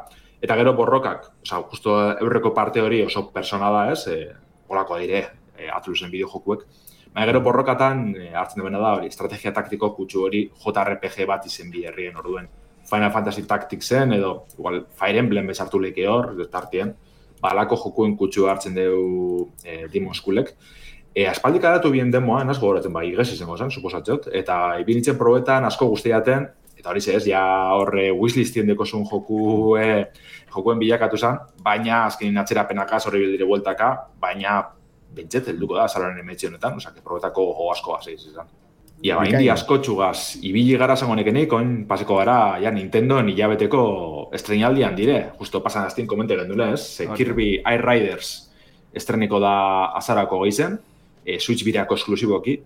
eta gero borrokak, oza, justo eurreko parte hori oso persona da ez, e, horako dire, e, atlusen bideo jokuek. Baina gero borrokatan e, hartzen duena da hori, estrategia taktiko kutsu hori J R P G bat izen bi herrien orduen. Final Fantasy Tacticsen edo igual Fire Emblem bezartu leke hor, tartien, balako jokuen kutsu hartzen dugu e, Demon Schoolek. E, aspaldik adatu bien demoa, asko goratzen bai, igez izango zen, suposatzot, eta ibinitzen probetan asko guztiaten, eta hori ez, ja horre wishlistien deko zuen joku, e, jokuen bilakatu zen, baina azkenin atzerapenaka, zorri bildire bueltaka, baina bentset, helduko da, zalaren emetxe honetan, oza, que probetako go asko gaz izan. Ia, ba, indi asko txugaz, ibili gara zango nekenik, oin paseko gara, ja, Nintendoen hilabeteko estrenaldian dire, justo pasan aztien komentaren dule, ez? Ze Kirby Air Riders estreniko da azarako gehizen, e, Switch bireako esklusiboki,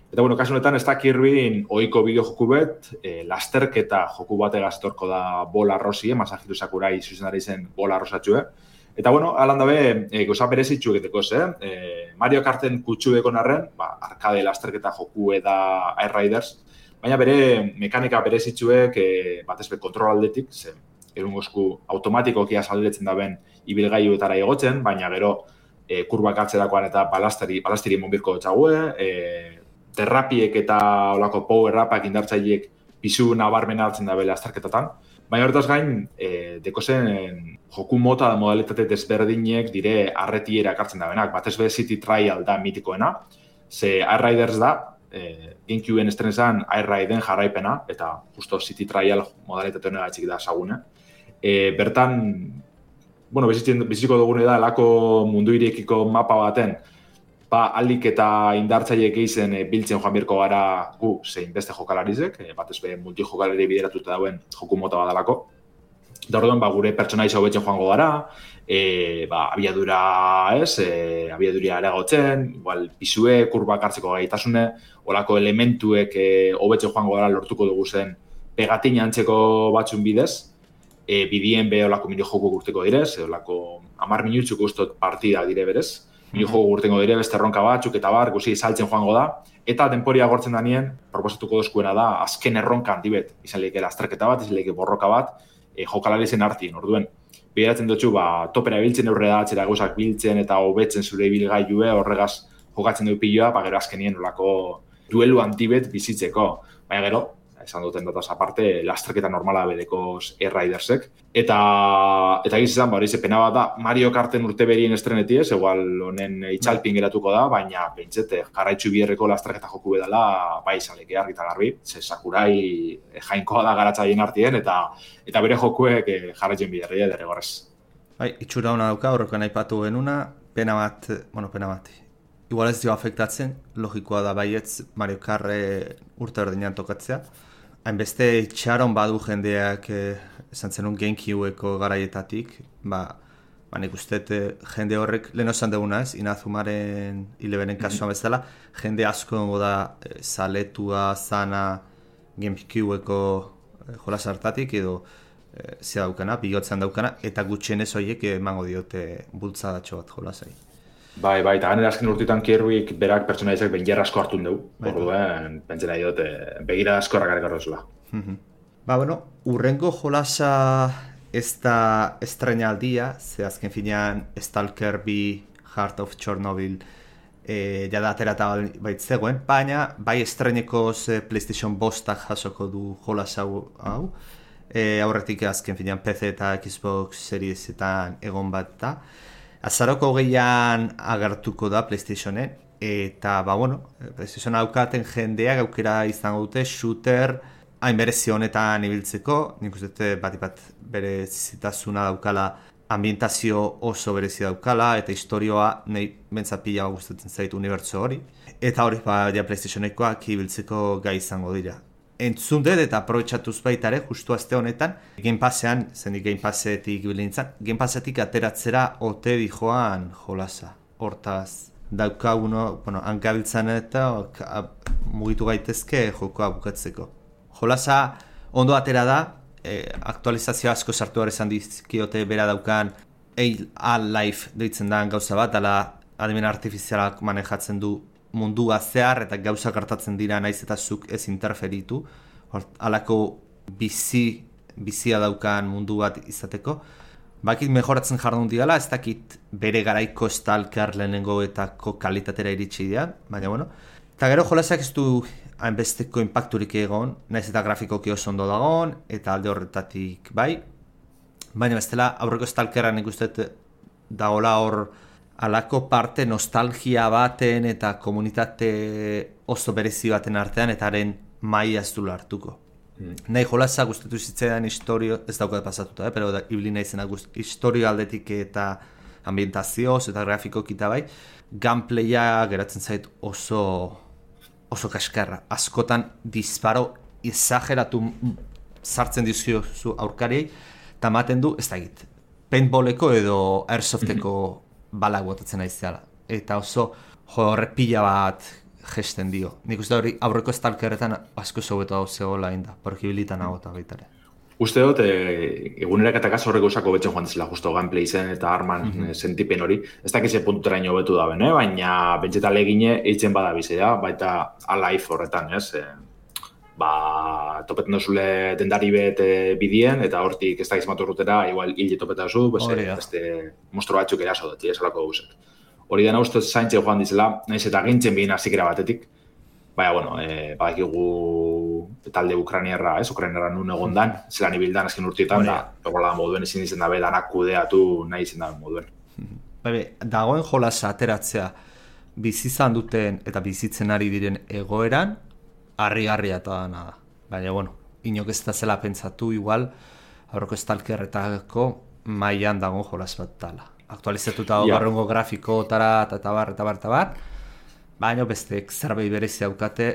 Eta, bueno, kasu honetan, ez da Kirbyn ohiko bideo joku bet, e, lasterketa joku bategaz etorko da bola rosi, Masahiru Sakurai zuzendari zen bola rosatxue. Eta, bueno, alan dabe, e, goza berezitxu egiteko, ze? E, Mario Karten kutxueko narren, ba, arkade lasterketa joku eda Air Riders, baina bere mekanika berezitxuek, e, batez be kontrol aldetik, ze, erungozku automatikoki azaldetzen daben ibilgailuetara egotzen, baina gero e, kurbak atzerakoan eta balastari, balastiri monbirko txague, e, terrapiek eta olako power-upak indartzaileek pisu nabarmena hartzen dabe lasterketatan. Baina horretaz gain, e, dekozen joku mota da modalitate desberdinek dire arretiera ekartzen dabenak. Batez be City Trial da mitikoena, ze Air Riders da, e, GameCubeen estrenezan Air Riden jarraipena, eta justo City Trial modalitate honegatxik da sagune. E, bertan, bueno, biziko dugune da, elako mundu irekiko mapa baten, ba, aldik eta indartzaileek eizen e, biltzen joan birko gara gu zein beste jokalarizek, e, batez be multijokalari bideratuta dauen joku mota badalako. Eta orduan, ba, gure pertsonaiza hobetzen joango gara, e, ba, abiadura, ez, e, abiaduria areagotzen, igual pisue, kurbak hartzeko gaitasune, olako elementuek e, hobetzen joango gara lortuko dugu zen pegatina antzeko batzun bidez, e, bidien be olako mini joku gurteko direz, e, olako hamar minutzuko ustot partida dire berez, mini joku gurtengo dire beste erronka batzuk eta bar, guzi saltzen joango da, eta denporia gortzen da nien, proposatuko dozkuena da, azken erronka handibet, izan lehike lasterketa bat, izan lehike borroka bat, e, jokalari zen hartien, orduen. Bideratzen dutxu, ba, topera biltzen aurre da, txera gauzak biltzen eta hobetzen zure ibilgailue, horregaz jokatzen du piloa, ba, gero azkenien olako duelu handibet bizitzeko. Baina gero, esan duten dataz aparte, lasterketa normala bedekoz Air Ridersek. Eta, eta gizizan, ba, hori ze pena bat da, Mario Karten urte berien estreneti ez, egual honen itxalpin geratuko da, baina pentsete, jarraitzu bierreko lasterketa joku bedala, bai izaleke argi eta garbi, ze Sakurai jainkoa da garatzaien artien, eta eta bere jokuek jarraitzen biderria derregorrez. Bai, itxura hona dauka, horrekoan aipatu genuna, pena bat, bueno, pena bat, igual ez dio afektatzen, logikoa da baietz Mario Karre urte berdinean tokatzea, hainbeste itxaron badu jendeak eh, esan zenun GameCubeko garaietatik, ba, ba nik uste jende horrek, lehen osan duguna ez, Inazumaren hilebenen kasuan bezala, jende asko gongo da eh, zaletua, zana GameCubeko eh, jolas hartatik edo eh, zea daukana, bigotzen daukana, eta gutxienez horiek emango diote bultzadatxo bat jolasai. Bai, bai, eta ganera azken urtetan Kirbyk berak pertsonaizak benjer asko hartun dugu. Bai, orduen, pentsena dut, begira asko rakarek arrozula. Ba, bueno, urrengo jolasa ez da estrenaldia, ze azken finean Stalker bi Heart of Chernobyl e, jada aterata baitzegoen, baina bai estrenekoz e, PlayStation bostak jasoko du jolasa hau, e, aurretik azken finean P C eta Xbox Seriesetan egon bat da. Azaroko hogeian agertuko da PlayStationen, eta, ba, bueno, PlayStation aukaten jendeak aukera izango dute shooter hain berezi honetan ibiltzeko, nik uste bat bat bere zitasuna daukala, ambientazio oso berezi daukala, eta historioa nahi bentzapila gustatzen zait unibertso hori, eta hori, ba, ja PlayStationekoak ibiltzeko gai izango dira. Entzun dut eta aprobetxatuz baitare, justu azte honetan, Game Passean, zendik Game Passetik bilintzan, Game Passetik ateratzera ote dijoan jolasa. Hortaz, daukaguno, bueno, hankabiltzan eta mugitu gaitezke jokoa bukatzeko. Jolasa ondo atera da, e, aktualizazio asko sartu gara esan dizkiote bera daukan A-Life deitzen da gauza bat, ala adimen artifizialak manejatzen du mundua zehar eta gauzak hartatzen dira naiz eta zuk ez interferitu, halako bizi, bizia daukan mundu bat izateko. Bakit mejoratzen jardun digala, ez dakit bere garaiko Stalker lehenengoetako kalitatera iritsi dira, baina bueno. Eta gero jolasak ez du hainbesteko impacturik egon, naiz eta grafikoki oso ondo dagoen, eta alde horretatik bai. Baina bestela aurreko Stalkeran ikustet dagoela hor alako parte nostalgia baten eta komunitate oso berezi baten artean eta haren maila ez du hartuko. Mm. Nahi jolasa gustatu zitzaidan historio, ez daukat pasatuta, eh? Pero da, ibili nahi zena historio aldetik eta ambientazioz eta grafikoki eta bai, gameplaya geratzen zait oso oso kaskarra. Askotan disparo exageratu sartzen dizkiozu aurkariei, eta maten du, ez da egit, paintballeko edo airsofteko balak botatzen aizeala. Eta oso jo horrepila bat gesten dio. Nik uste hori aurreko stalkerretan asko zaubetu hau zegoela inda, porkibilitan hau eta baitare. Uste dut, e, egunerak eta horreko usako betzen joan dizela, justo gameplay zen eta arman mm-hmm. sentipen hori. Ez dakize puntuteraino betu da ben, eh? Baina bentseta legine eitzen bada bizea, baita alive horretan, ez? E, ba, topetan dozule dendari bet e, bidien, eta hortik ez dakiz maturrutera, igual hile topeta zu, beste monstro batzuk eraso dut, ez alako gauzak. Hori dena uste zaintze joan dizela, nahiz eta gintzen bihin azikera batetik. Baina, bueno, e, badakigu talde ukraniarra, ez, ukraniarra nun egon dan, zelan ibildan azken urtietan, da, egola moduen ezin izen dabe, danak kudeatu nahi izen da moduen. Baina, dagoen jolasa ateratzea bizizan duten eta bizitzen ari diren egoeran, harri-harria eta dana da. Baina, bueno, inok ez da zela pentsatu igual, aurreko stalkerretako mailan dagoen jolas bat dala. Aktualizatuta yeah. barrungo grafikotara eta bar, eta bar, eta bar, baina bestek zerbait berezi daukate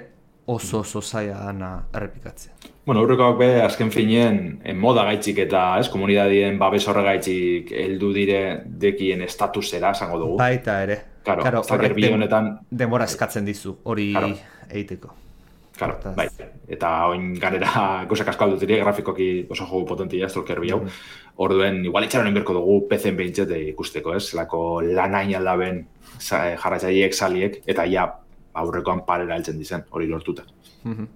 oso oso zailana errepikatzea. Bueno, aurrekoak be, azken finean, moda gaitxik eta ez, komunidadien babes horregaitxik heldu dire dekien estatusera, esango dugu. Baita ere. Claro, claro, horrek honetan denbora eskatzen dizu, hori claro. egiteko. Claro, bai. Eta oin ganera gozak asko aldutirik, grafikoki oso jogu potentia, stalker bi hau. Mm-hmm. Orduen, igual itxaron inberko dugu P C-en behintzete ikusteko, ez? Lako lanain aldaben jarratxaiek saliek, eta ja aurrekoan parera heltzen dizen, hori lortuta. Mm-hmm.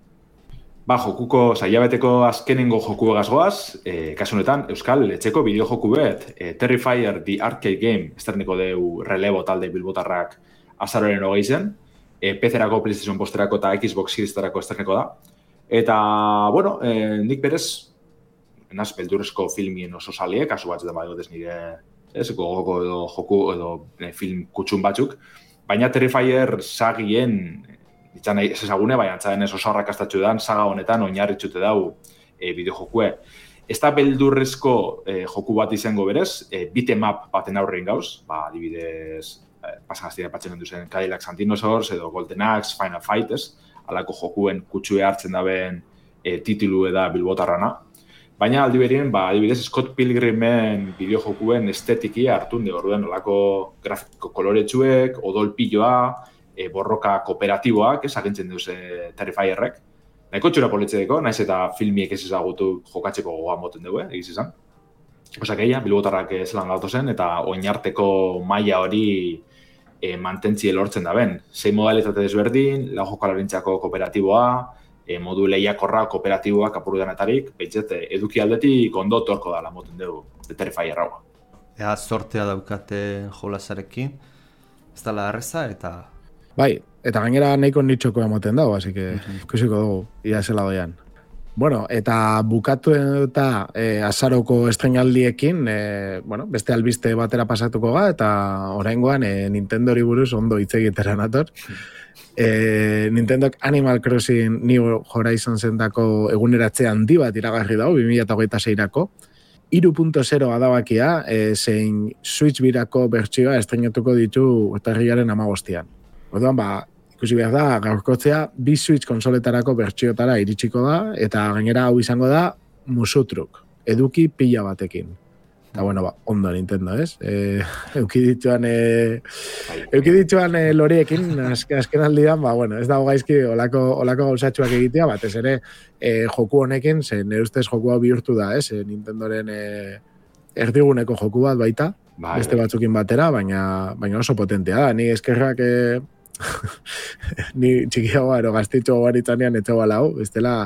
Ba, jokuko, zailabeteko azkenengo joku egazgoaz, e, kasu honetan, Euskal etxeko bideo joku bet, e, Terrifier The Arcade Game, esterniko deu relebo talde bilbotarrak azaroren hogei zen, e, P C-erako, PlayStation posterako eta Xbox Series-tarako esterniko da. Eta, bueno, e, nik berez, naz, beldurrezko filmien oso salie, kasu batzuetan badut ez nire, ez, gogoko edo joku edo e, film kutxun batzuk, baina Terrifier sagien, ditzan ez ezagune, baina antzaden ez oso arrakastatxu dan, saga honetan oinarritxute dau e, bideojokue. Ez da beldurrezko e, joku bat izango berez, e, beat'em-up baten aurrein gauz, ba, adibidez, e, pasagaztira patzen duzen Cadillac Dinosaurs edo Golden Axe, Final Fight, ez, alako jokuen kutsue hartzen daben e, titulu eda bilbotarrana. Baina aldi berien, ba, adibidez, Scott Pilgrimen bideojokuen estetiki hartun de orduen olako grafiko koloretsuek, odolpilloa, e, borroka kooperatiboak, ez agintzen duze Terrifierrek. Nahiko txura politzedeko, naiz eta filmiek ez ezagutu jokatzeko gogoa moten dugu, eh, egiz izan. Osak egia, bilbotarrak zelan gautu zen, eta oinarteko maila hori e, mantentzie lortzen da ben. Sei modalitate desberdin, lau jokalarintzako kooperatiboa, E, modu lehiakorra kooperatiboak apurdanetarik, behitzet, eduki aldetik ondo torko dala moten dugu, de Terrifier hau. Ea, sortea daukate jolasarekin, ez dala erreza, eta... Bai, eta gainera nahiko nitxoko emoten dago, así que ikusiko dugu, ia zela doian. Bueno, eta bukatu eta e, azaroko estreinaldiekin, e, bueno, beste albiste batera pasatuko ga, eta oraingoan e, Nintendori buruz ondo hitz egitera nator. E, Nintendok Animal Crossing New Horizons zentako eguneratze handi bat iragarri dago, bi mila hogeita seirako. hiru puntu zero adabakia, e, zein Switch birako bertsioa estreinatuko ditu urtarrilaren hamabostean. Orduan, ba, ikusi behar da, gaurkotzea, bi Switch konsoletarako bertsiotara iritsiko da, eta gainera hau izango da musutruk, eduki pila batekin. Eta, bueno, ba, ondo Nintendo, ez? E, euki dituan, e, euki dituan e, loriekin, azken, azken aldian, ba, bueno, ez dago gaizki olako, olako gauzatxuak egitea, batez ere, e, joku honekin, ze nire ustez joku hau bihurtu da, ez? E, Nintendoren e, erdiguneko joku bat baita, bai, beste batzukin batera, baina, baina oso potentea da. Ni eskerrak, e, ni txikiagoa, ero gaztitxo garitzanean etxo bala hau, bestela,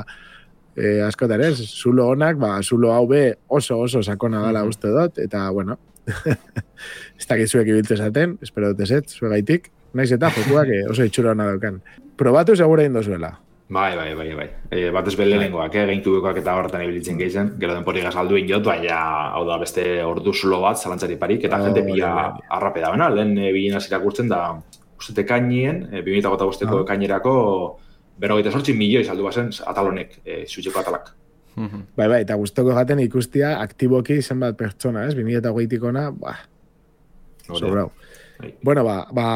E, askotan ez, zulo honak, ba, zulo hau be oso oso sakona dala uste dut, eta, bueno, ez dakit zuek ibiltze esaten, espero dut ezet, zuegaitik, naiz eta jokuak e, oso itxura hona daukan. Probatu segura indo zuela. Bai, bai, bai, bai. E, batez belenengoak, eh, geintubekoak eta horretan ibilitzen gehizen, gero denpori gazaldu injot, baina, hau da, beste ordu zulo bat, zalantzari parik, eta oh, jente pila arrape da, bena, lehen e, bilin azirakurtzen da, uste tekainien, e, bi mila bosteko oh. ekainerako, berrogeita sortzi milioi saldu bazen atalonek, e, Switcheko atalak. Bai, bai, eta guztoko jaten ikustia aktiboki zenbat pertsona, ez? bi mila hogeitik ona, ba, sobrau. Bueno, ba, ba,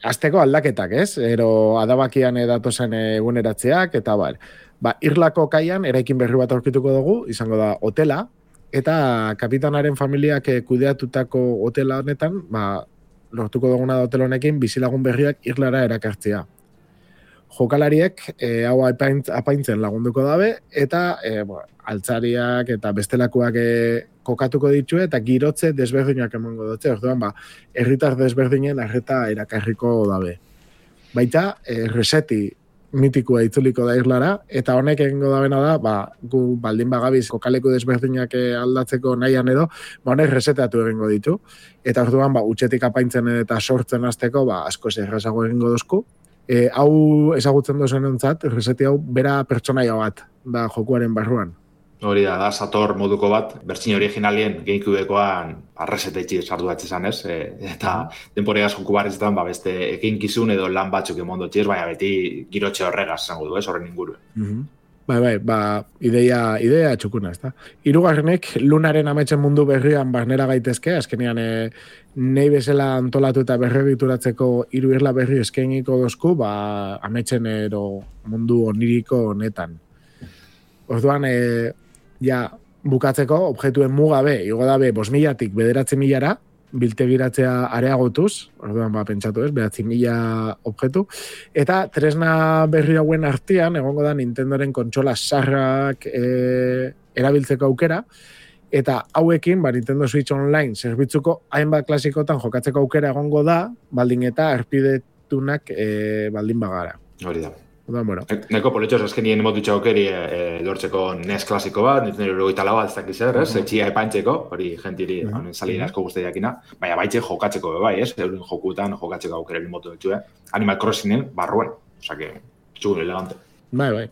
azteko aldaketak, ez? Ero adabakian datozen eguneratzeak, eta bar. Ba, Irlako kaian, eraikin berri bat aurkituko dugu, izango da hotela, eta kapitanaren familiak kudeatutako hotela honetan, ba, lortuko duguna da hotel honekin, bizilagun berriak Irlara erakartzea. jokalariek e, hau apaintz, apaintzen lagunduko dabe, eta e, bo, altzariak eta bestelakoak e, kokatuko ditue, eta girotze desberdinak emango dutze, orduan, ba, herritar desberdinen arreta erakarriko dabe. Baita, e, reseti mitikoa itzuliko da irlara, eta honek egingo dabena da, ba, gu baldin bagabiz kokaleku desberdinak aldatzeko nahian edo, ba, honek resetatu egingo ditu, eta orduan, ba, utxetik apaintzen eta sortzen hasteko, ba, asko errazago egingo dozku. E, hau ezagutzen dozen entzat, reseti hau bera pertsonaia bat da jokuaren barruan. Hori da, da, Sator moduko bat, bertsin originalien GameCubekoan arresetetxi sartu batxe izan, ez? E, eta denporegaz joku barrezetan, ba, beste ekinkizun edo lan batzuk emondo txiz, baina beti girotxe horregaz zango du, ez? Horren inguru. Mm-hmm. Bai, bai, ba, ideia, ideia txukuna, ez da. Hirugarrenek, Lunaren ametsen mundu berrian barnera gaitezke, azkenean e, nahi bezala antolatu eta berregituratzeko hiru irla berri eskainiko dozku, ba, ametsen ero mundu oniriko honetan. Orduan, e, ja, bukatzeko, objektuen mugabe, igo dabe, bos milatik bederatzi milara, biltegiratzea areagotuz, orduan, ba, pentsatu ez, behatzi mila objektu, eta tresna berri hauen artean, egongo da Nintendoren kontsola sarrak e, erabiltzeko aukera, eta hauekin, ba, Nintendo Switch Online zerbitzuko hainbat klasikotan jokatzeko aukera egongo da, baldin eta arpidetunak e, baldin bagara. Hori da. Orduan, bueno. Neko politxos eskenien emotutxe aukeri e, lortzeko N E S klasiko bat, Nintendo Eurogeita lau bat ez dakiz zer, ez? Etxia epaintzeko, hori gentiri, uh -huh. salien asko guztiakina, baina baitxe jokatzeko bai, ez? Euren jokutan jokatzeko aukera limotu dutxue. Animal Crossingen barruen, osake, txugun elegante. Bai, bai.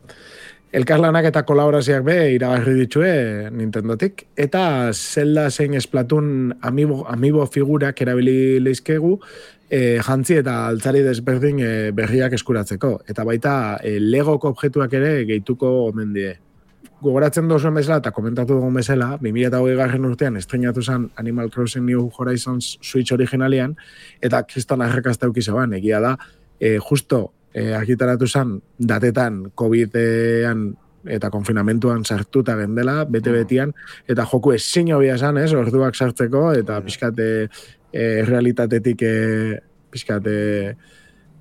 Elkarlanak eta kolaborazioak be iragarri ditue Nintendotik, eta Zelda zein Splatoon amiibo, amiibo figurak erabili leizkegu, e, jantzi eta altzari desberdin e, berriak eskuratzeko. Eta baita e, Legoko objektuak ere gehituko omen die. Gogoratzen dozuen bezala eta komentatu dugun bezala, bi mila hogei garren urtean estrenatu zen Animal Crossing New Horizons Switch originalian, eta kriston arrakasta eukizaban, egia da, e, justo E, argitaratu zen datetan COVID-ean eta konfinamentuan sartuta gendela, bete-betian, eta joku ezin hobia esan, ez, orduak sartzeko, eta pixkate e, realitatetik e, pixkate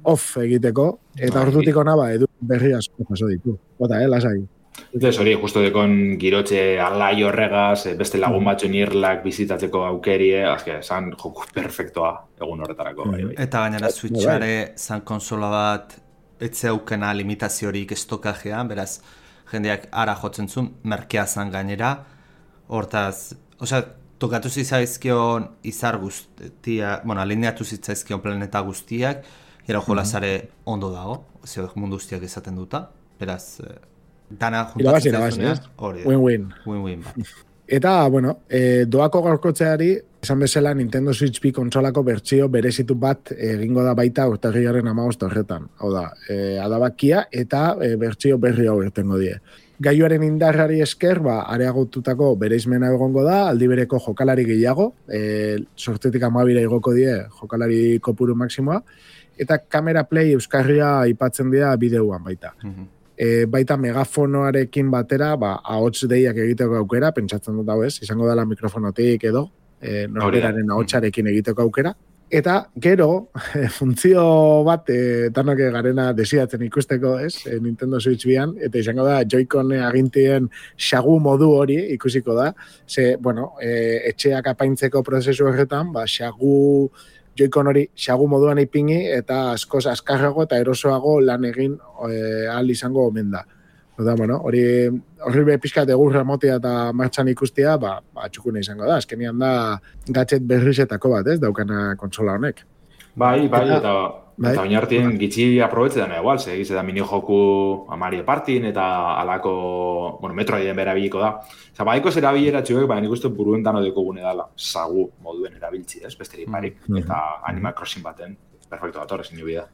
off egiteko, eta ordutik ona ba, edu berri asko jaso ditu. Bota, eh, lasai. Ez hori, justo dekon girotxe alai horregaz, beste lagun batzuen irlak bizitatzeko aukerie, azke, zan joku perfektoa egun horretarako. Bai, bai. Eta gainera Switchare zan konsola bat etze aukena limitaziorik estokajean, beraz, jendeak ara jotzen zuen, merkea zan gainera, hortaz, osea, tokatu zitzaizkion izar guztia, bueno, alineatu zitzaizkion planeta guztiak, gero jolazare ondo dago, ozio, mundu guztiak esaten duta, beraz, dana juntatzen zaizunean, hori da. Win-win. Win-win, ba. Eta, bueno, e, doako gaurkotzeari, esan bezala Nintendo Switch bi kontsolako bertsio berezitu bat egingo da baita urtarrilaren hamabost horretan. Hau da, e, adabakia eta e, bertsio berri hau irtengo die. Gaiuaren indarrari esker, ba, areagotutako bereizmena egongo da, aldi bereko jokalari gehiago, e, sortzetik amabira igoko die jokalari kopuru maksimoa, eta kamera play euskarria aipatzen dira bideoan baita. Mm-hmm. E, baita megafonoarekin batera, ba, ahots deiak egiteko aukera, pentsatzen dut hau ez, izango dela mikrofonotik edo, e, norberaren ahotsarekin egiteko aukera. Eta gero, funtzio bat, e, danok garena desiatzen ikusteko, ez, e, Nintendo Switch bian, eta izango da Joy-Con agintien xagu modu hori ikusiko da, ze, bueno, e, etxeak apaintzeko prozesu horretan, ba, xagu Joy-Con hori xagu moduan ipini eta askoz askarrago eta erosoago lan egin e, ahal izango omen da. Oda, bueno, hori horri be pixkat egurra motia eta martxan ikustia, ba, ba txukune izango da. Azkenian da gadget berrizetako bat, ez, daukana kontsola honek. Bai, bai, eta, eta, bai, eta oinartien gitxi aprobetzetan egual, ze egiz eta mini-joku Mario Partin eta alako, bueno, Metroiden berabiliko da. Osa, baiko zera bileratxuek, baina nik uste buruentan odeko gune dala, sagu moduen erabiltzi, ez, besterik barik, mm -hmm. eta Animal Crossing baten, perfecto dator, ezin nio bida.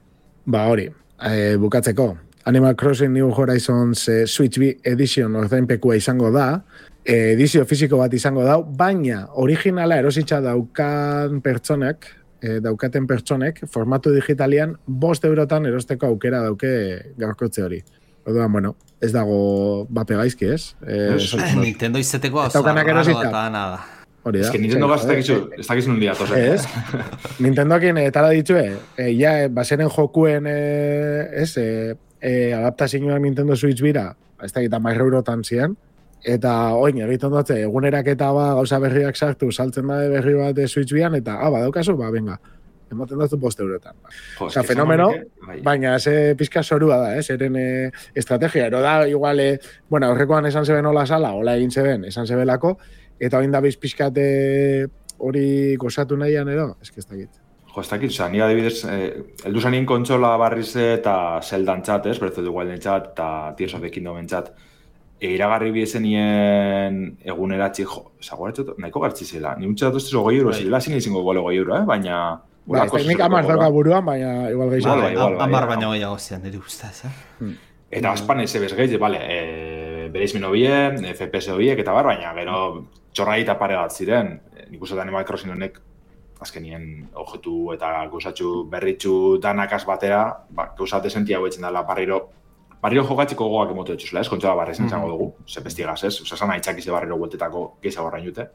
Ba, hori, e, bukatzeko, Animal Crossing New Horizons e, Switch bi Edition ordainpekua izango da, e, edizio fisiko bat izango da, baina originala erositza daukan pertsonek, e, daukaten pertsonek, formatu digitalian, bost eurotan erosteko aukera dauke gaurkotze hori. Orduan, bueno, ez dago bape gaizki, ez? E, Nintendo izeteko azarraro eta nada. Hori da. Ez que Nintendo gaz ez dakizu nun diatoz. Ez, Nintendoakin etara ditue, e, ja, baseren jokuen, e, ez, e, e, adaptazioak Nintendo Switch bira, ez da gita marra eurotan zian, eta oin, egiten dute, eguneraketa ba, gauza berriak sartu, saltzen da berri bat Switch bian, eta, ah, badaukazu, ba, venga, ematen dut bost eurotan. Jo, Osa, fenomeno, baina ze pizka zorua da, eh? Zeren eh, estrategia, ero da, igual, eh, bueno, horrekoan esan zeben hola sala, hola egin zeben, esan zebelako, eta oin da bizpizkate hori gozatu nahian edo, ez que ez dakit. Jo, ez dakit, oza, nire adibidez, eh, eldu zanien kontsola barriz eta Zeldan txat, ez, Breath of the Wilden txat, eta Tears of the Kingdomen txat, e, iragarri biezen nien eguneratzi, jo, zagoratzot, nahiko gartzi zela, ni untxe datu ez hogei euro, zela zin izango gole hogei euro, eh? Baina... Ba, ez teknik amar dauka buruan, baina igual gehiago. Bai, bai, bai, Amar bai, baina gehiago zian, nire ustez, eh? Hmm. Eta aspan ez ebez gehi, bale, e, bereizmen hobie, F P S hobiek, eta bar, baina gero txorrai eta pare bat ziren. Nik uste da Animal Crossing honek azkenien objektu eta gauzatxu berritxu danakaz batera, ba, gauza desentia hauetzen dela barriro, barriro jokatzeko gogoak emotu etxuzela, ez? Kontxola barrezen izango dugu, ze pestigaz, ez? Osa, sana itxakize barriro bueltetako gehiago horrein jute,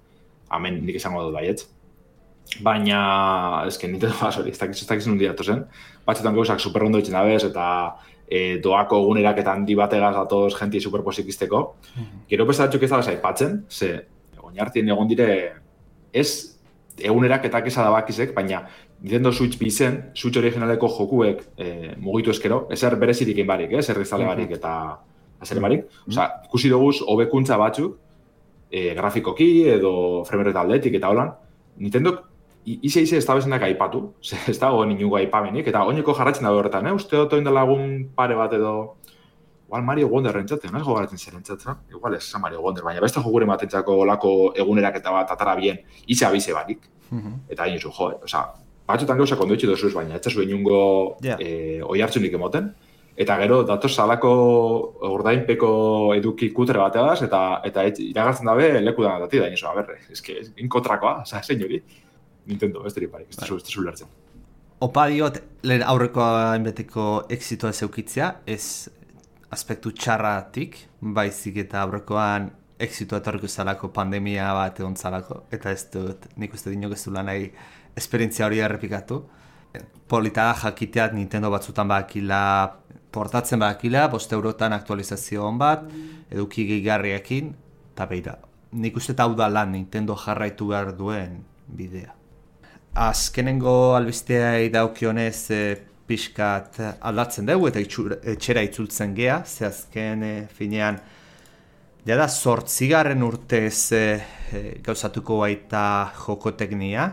hemen nik izango dut baietz. Baina, ezken, Nintendo ba, sorry, ez dakiz, ez dakiz nundi datozen. Batzutan gauzak superrondo ditzen dabez, eta e, doako egunerak eta handi bategaz datoz jenti superposikizteko. Mm-hmm. Gero besta batzuk ez da aipatzen, ze oinartien egon dire, ez egunerak eta kesa da bakizek, baina Nintendo Switch bizen, Switch originaleko jokuek e, mugitu eskero, ezer berezirik egin barik, ez, errizale barik eta azer barik. Mm-hmm. Osa, ikusi doguz, hobekuntza batzuk, e, grafikoki edo framerate aldetik eta holan, Nintendo Ize ize ez da bezenak aipatu, ez da goen inugu aipamenik, eta oineko jarratzen dago horretan, eh? Uste dut oin lagun pare bat edo... Igual Mario Wonder rentzatzen, ez gogaratzen zer rentzatzen? Igual ez, Mario Wonder, baina beste jokuren batentzako olako egunerak eta bat atara bien, ize abize barik. Uh-huh. Eta hain zu, jo, eh? Osa, batzutan gauzak ondo itxi dozuz, baina ez zuen inungo yeah. e, oi hartzunik emoten. Eta gero, datoz salako ordainpeko eduki kutre bateaz, eta eta iragartzen dabe leku da dati da, nizo, a berre, eske, inkotrakoa, oza, zein hori. Nintendo, ez dira parik, ez da zu lertzen. Opa diot, lehen aurrekoa enbeteko exitoa zeukitzea, ez aspektu txarratik, baizik eta aurrekoan exitoa etorriko zalako pandemia bat egon zalako, eta ez dut, nik uste dinok ez du lan nahi esperientzia hori errepikatu. Polita da jakiteat Nintendo batzutan bakila, portatzen bakila, bost eurotan aktualizazio hon bat, eduki gehigarriakin, eta beira. Nik uste hau da lan Nintendo jarraitu behar duen bidea. Azkenengo albistea daukionez e, pixkat aldatzen dugu eta etxera itzultzen gea, ze azken e, finean jada zortzigarren urtez e, e, gauzatuko baita jokoteknia,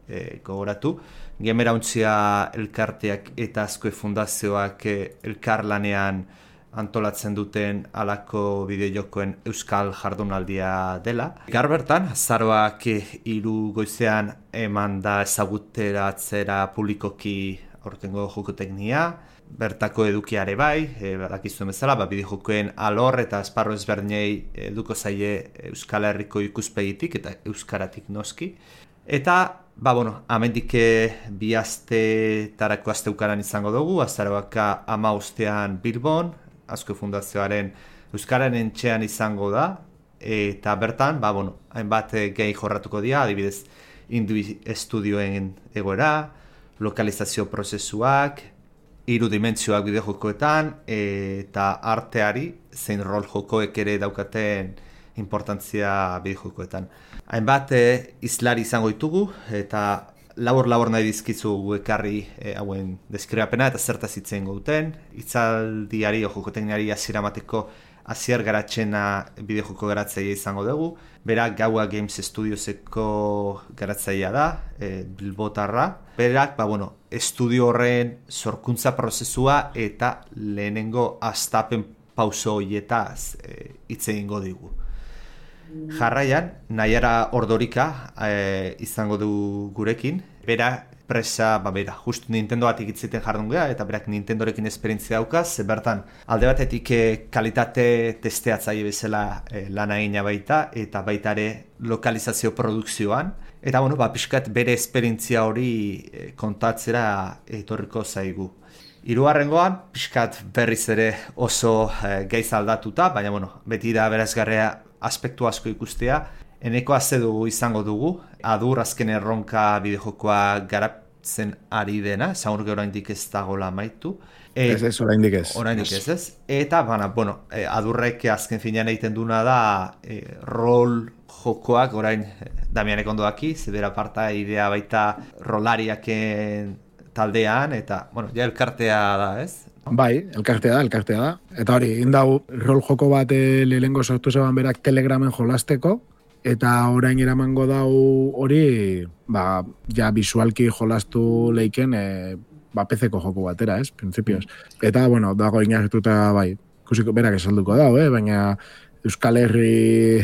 e, gogoratu, Gemerauntzia elkarteak eta Azkue fundazioak e, elkarlanean antolatzen duten alako bideojokoen euskal jardunaldia dela. Gaur bertan, azaroak hiru goizean eman da ezaguteratzera publikoki aurtengo jokoteknia, bertako edukiare bai, e, badakizuen bezala, ba, bideojokoen alor eta esparru ezberdinei eduko zaie Euskal Herriko ikuspegitik eta euskaratik noski. Eta, ba, bueno, amendik bi astetarako asteukaran izango dugu, azaroak ama ostean Bilbon, Azkue fundazioaren Euskararen txean izango da, eta bertan, ba, bueno, hainbat gehi jorratuko dira, adibidez, Indui Estudioen egoera, lokalizazio prozesuak, hiru dimentsioak bideojokoetan, eta arteari, zein rol jokoek ere daukaten importantzia bideojokoetan. Hainbat izlari izango ditugu, eta labor-labor nahi dizkizu ekarri e, hauen deskribapena eta zertaz hitzen duten. Itzaldiari o jokotekniari hasiera emateko hasier garatzena bideojoko garatzailea izango dugu. Berak Gaua Games Studioseko garatzailea da, e, bilbotarra. Berak, ba, bueno, estudio horren sorkuntza prozesua eta lehenengo hastapen pauso horietaz hitz e, egingo digu. Jarraian, Naiara Ordorika e, izango du gurekin. Bera, presa, ba bera, just Nintendo batik itziten jardun geha, eta berak Nintendorekin esperientzia daukaz, bertan alde batetik e, kalitate testeatzaile bezala e, lan egina baita, eta baita ere lokalizazio produkzioan. Eta, bueno, ba, pixkat bere esperientzia hori e, kontatzera etorriko zaigu. Hirugarrengoan, pixkat berriz ere oso e, gaiz aldatuta, baina, bueno, beti da berazgarria aspektu asko ikustea. Eneko azedu izango dugu, adur azken erronka bideojokoa garap, zen ari dena, zaurge oraindik ez dagoela amaitu. E, ez ez, oraindik ez. Oraindik ez ez. Eta, bana, bueno, e, adurrek azken finean egiten duna da e, rol jokoak, orain Damianek ondo daki, zebera parta idea baita rolariaken taldean, eta, bueno, ja elkartea da, ez? Bai, elkartea da, elkartea da. Eta hori, indau rol joko bat lehengo sortu zeban berak Telegramen jolasteko, eta orain eramango dau hori, ba, ja visualki jolastu leiken, e, ba, P C-ko joko batera, ez, principios. Eta, bueno, dago inartuta, bai, ikusiko berak esalduko dau, eh? Baina Euskal Herri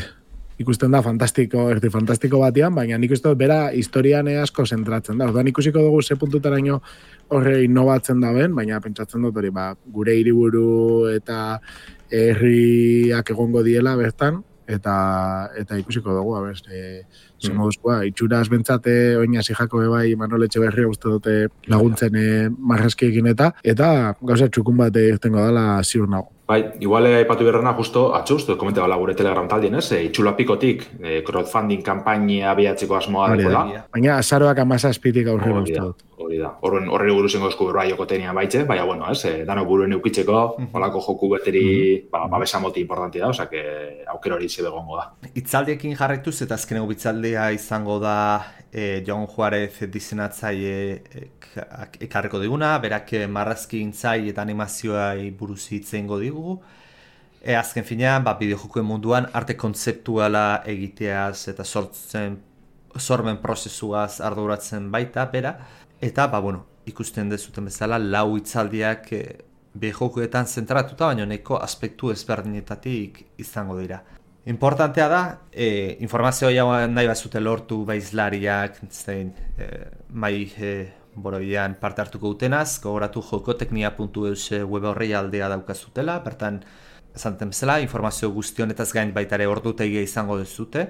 ikusten da fantastiko, erdi fantastiko batean, baina nik uste dut bera historian asko zentratzen da. Orduan ikusiko dugu ze puntutaraino horre innovatzen da ben, baina pentsatzen dut hori, ba, gure hiriburu eta herriak egongo diela bertan, eta eta ikusiko dugu, abez, e, zer moduzkoa, itxuraz bentsate, oina zijako bai Manol Etxeberria uste dute laguntzen e, marrazkiekin eta, eta gauza txukun bat irtengo dela ziur nago. Bai, igual aipatu berrena justo atzo uste komente bala gure Telegram taldien, ez? E, itxulapikotik e, crowdfunding kanpaina abiatzeko asmoa dagoela. Baina azaroak amazazpitik aurrera uste dut. Hori da. Horren horre buruz ingo esku berroa jokotenia baitxe, baina bueno, ez? E, dano buruen eukitzeko, holako joku beteri, mm-hmm. ba, babesa moti importanti da, osea que aukera hori zebe gongo da. Itzaldiekin jarraituz eta azkeneko bitzaldea izango da e, Jon Juarez dizenatzaile ekarriko diguna, berak marrazki intzai eta animazioai buruz hitzengo digu. E, azken finean, ba, bideojokoen munduan arte kontzeptuala egiteaz eta sortzen, sormen prozesuaz arduratzen baita, bera. Eta, ba, bueno, ikusten dezuten bezala, lau hitzaldiak e, bideojokoetan zentratuta, baina neko aspektu ezberdinetatik izango dira. Importantea da, e, informazioa nahi bazute lortu baizlariak, zein, e, mai e, boroian parte hartuko dutenaz, gogoratu jokoteknia puntu eus web horrei aldea daukazutela, bertan, esanten bezala, informazio guztionetaz gain baitare ordutegia izango dezute,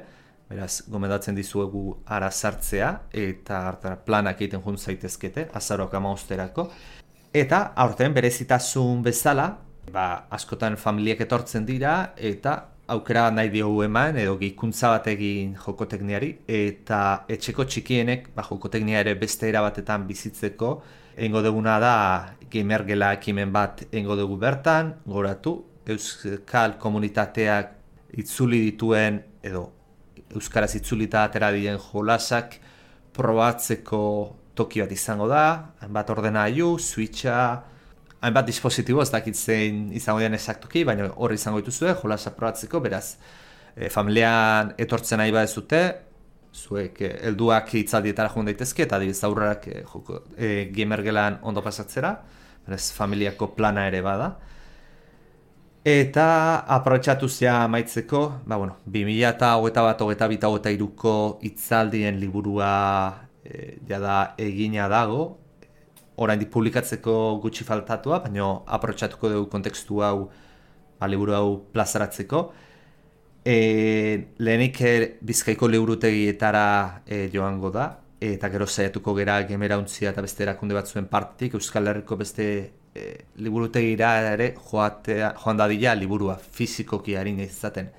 beraz, gomendatzen dizuegu ara sartzea, eta hartara planak egiten jun zaitezkete, azaroak amausterako, eta aurten berezitasun bezala, ba, askotan familiak etortzen dira, eta aukera nahi diogu eman, edo gehikuntza bat egin jokotekniari, eta etxeko txikienek ba, jokoteknia ere beste era batetan bizitzeko, egingo duguna da gamergela ekimen bat egingo dugu bertan, goratu, euskal komunitateak itzuli dituen, edo euskaraz itzulita atera diren jolasak probatzeko toki bat izango da, hainbat ordenagailu, switcha, hainbat dispositibo, ez dakit zein izango dian esaktuki, baina hor izango dituzue, jolasa probatzeko, beraz, e, familian etortzen nahi badezute, zuek e, helduak hitzaldietara joan daitezke, eta adibidez aurrerak e, e, gamergelan ondo pasatzera, beraz, familiako plana ere bada. Eta aprobetxatu zea amaitzeko, ba, bueno, bi mila hogeita bat, hogeita bi, hogeita hiruko hitzaldien liburua e, jada egina dago, oraindik publikatzeko gutxi faltatua, baina aprobetxatuko dugu kontekstu hau, ba, liburu hau plazaratzeko. E, lehenik Bizkaiko liburutegietara e, joango da, eta gero saiatuko gera Gemerauntzia eta beste erakunde batzuen partetik, Euskal Herriko beste e, liburutegira ere joatea, joan dadila liburua fizikoki harin izaten.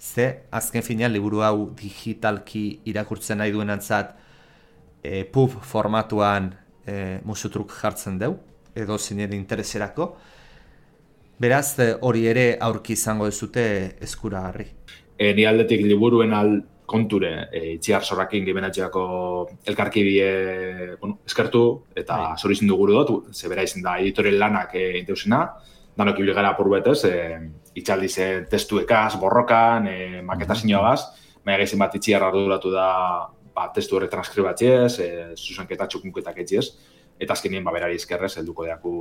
Ze, azken finean, liburu hau digitalki irakurtzen nahi duenantzat e, pub formatuan e, musutruk jartzen deu, edo zinen intereserako. Beraz, hori ere aurki izango dezute eskuragarri. E, ni aldetik liburuen al konture, e, itziar sorrakin gibenatxeako elkarkibie bueno, eskertu, eta zori zindu guru dut, zebera izin da editorial lanak e, inteusena, danok ibligara apurbetez, e, itxaldi ze testuekaz, borrokan, e, maketazioagaz, baina gaizin bat itziar arduratu da ba, testu horre transkribatziez, e, zuzenketa txukunketak etxiez, eta azkenien ba, berari izkerrez, helduko deaku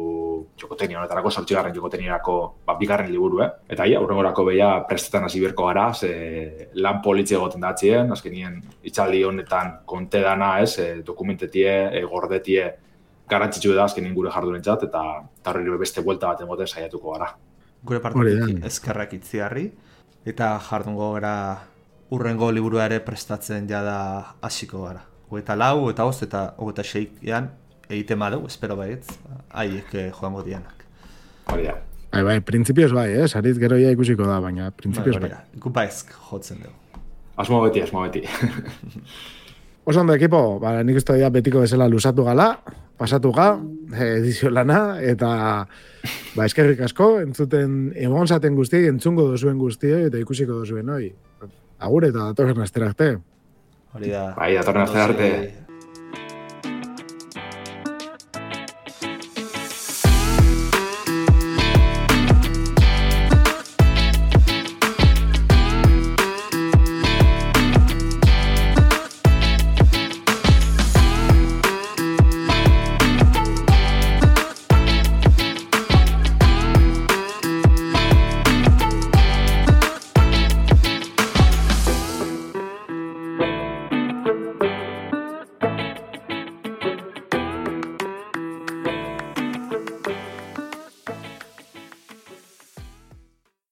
jokotenia honetarako, sortzigarren jokoteniarako ba, bigarren liburu, eh? Eta ia, aurrengorako beha prestetan hasi berko gara, ze lan politxe egoten datzien, azkenien itxaldi honetan konte dana, ez, e, dokumentetie, e, gordetie, garantzitsu da azkenien gure jardurentzat, eta horri beste buelta bat emoten saiatuko gara. Gure partetik eskerrak itziarri, eta jardungo gara urrengo liburu ere prestatzen jada hasiko gara. Hogeita lau, eta host, eta hogeita seian, egiten badeu, espero baietz, haiek eh, joango dianak. Hori da. Bai, bai, printzipioz bai, eh? Sarit gero ja ikusiko da, baina printzipioz bai. Gu baizk jotzen dugu. Asmo beti, asmo beti. Oso ondo ekipo, ba, nik uste dira betiko bezala lusatu gala, pasatu ga, edizio lana, eta ba, eskerrik asko, entzuten egon zaten guztiei, entzungo dozuen guztiei, eta ikusiko dozuen, hoi. Agur eta datorren astera arte. Hori da. Bai, datorren astera arte.